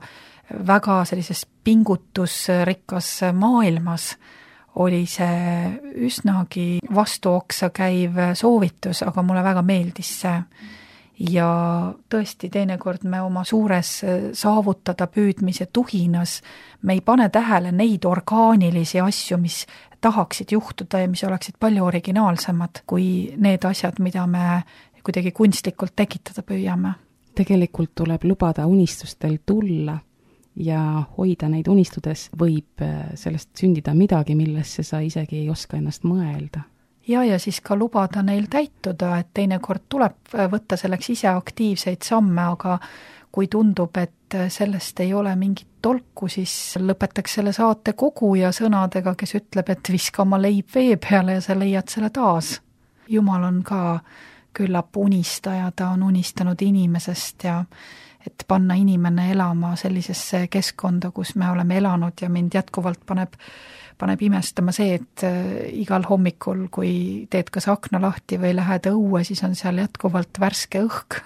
väga sellises pingutusrikkas maailmas oli see üsnagi vastuoksa käiv soovitus, aga mulle väga meeldis see. Ja tõesti, teinekord me oma suures saavutada püüdmise tuhinas, me ei pane tähele neid orgaanilisi asju, mis tahaksid juhtuda ja mis oleksid palju originaalsemad kui need asjad, mida me kuidagi kunstlikult tekitada püüame. Tegelikult tuleb lubada unistustel tulla ja hoida neid unistudes, võib sellest sündida midagi, millesse sa isegi ei oska ennast mõelda. Ja, ja siis ka lubada neil täituda, et teinekord tuleb võtta selleks ise aktiivseid samme, aga kui tundub, et sellest ei ole mingit tolku, siis lõpetaks selle saate kogu ja sõnadega, kes ütleb, et viska oma leib vee peale ja sa leiad selle taas. Jumal on ka küllap unistaja, ta on unistanud inimesest ja et panna inimene elama sellisesse keskkonda, kus me oleme elanud ja mind jätkuvalt paneb, paneb imestama see, et igal hommikul, kui teed kas akna lahti või lähed õue, siis on seal jätkuvalt värske õhk.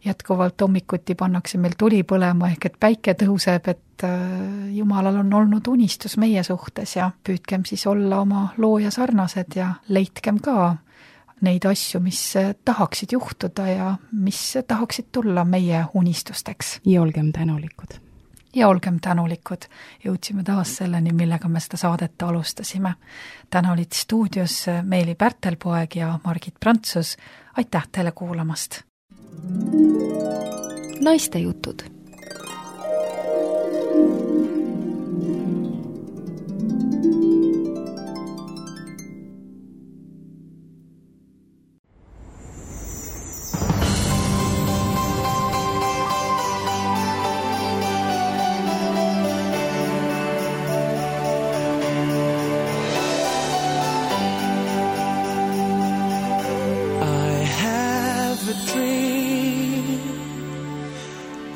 Jätkuvalt hommikuti pannakse meil tuli põlema, ehk et päike tõuseb, et Jumalal on olnud unistus meie suhtes ja püüdkem siis olla oma looja sarnased ja leidkem ka neid asju, mis tahaksid juhtuda ja mis tahaksid tulla meie unistusteks. Ja olgem tänulikud. Ja olgem tänulikud. Jõudsime taas selleni, millega me seda saadet alustasime. Täna olid stuudios Meeli Pärtelpoeg ja Margit Prantsus. Aitäh teile kuulamast! Naiste jutud.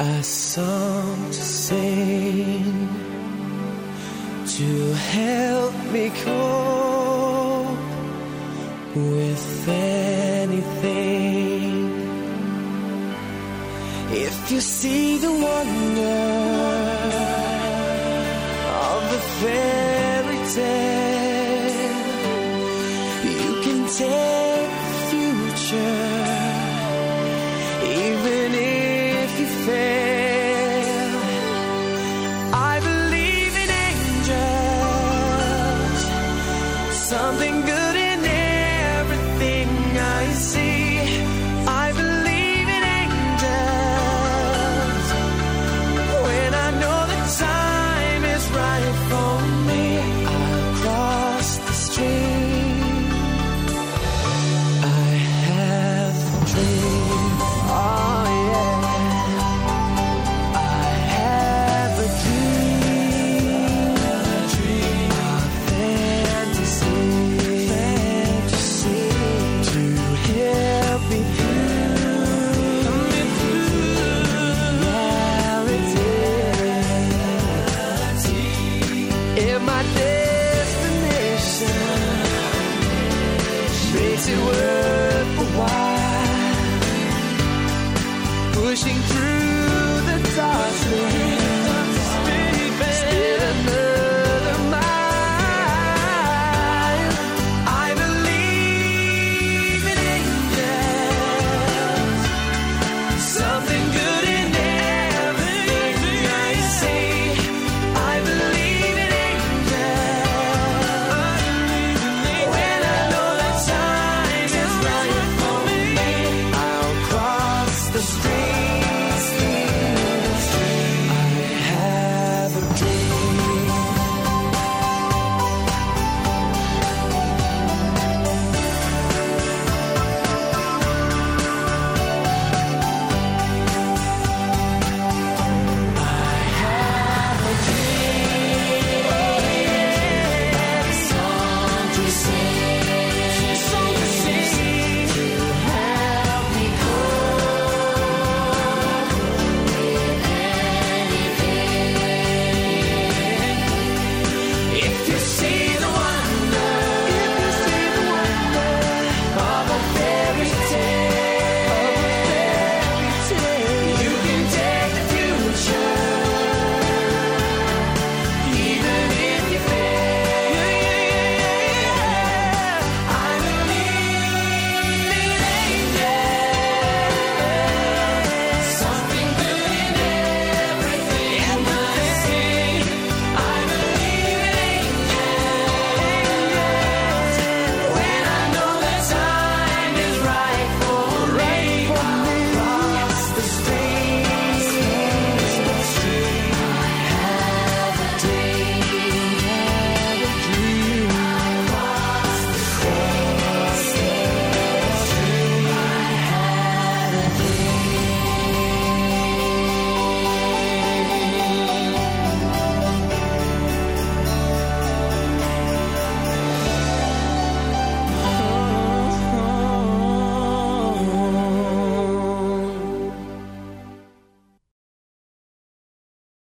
A song to sing to help me cope with anything. If you see the wonder of the fairy tale, you can take the future. Even if you fail, I believe in angels, something good in everything I see. I believe in angels when I know the time is right for me. I'll cross the stream. I have a dream. Oh yeah, I have a dream, a dream, a fantasy, fantasy to help me through, me through reality. If my destination makes it worth a while, pushing through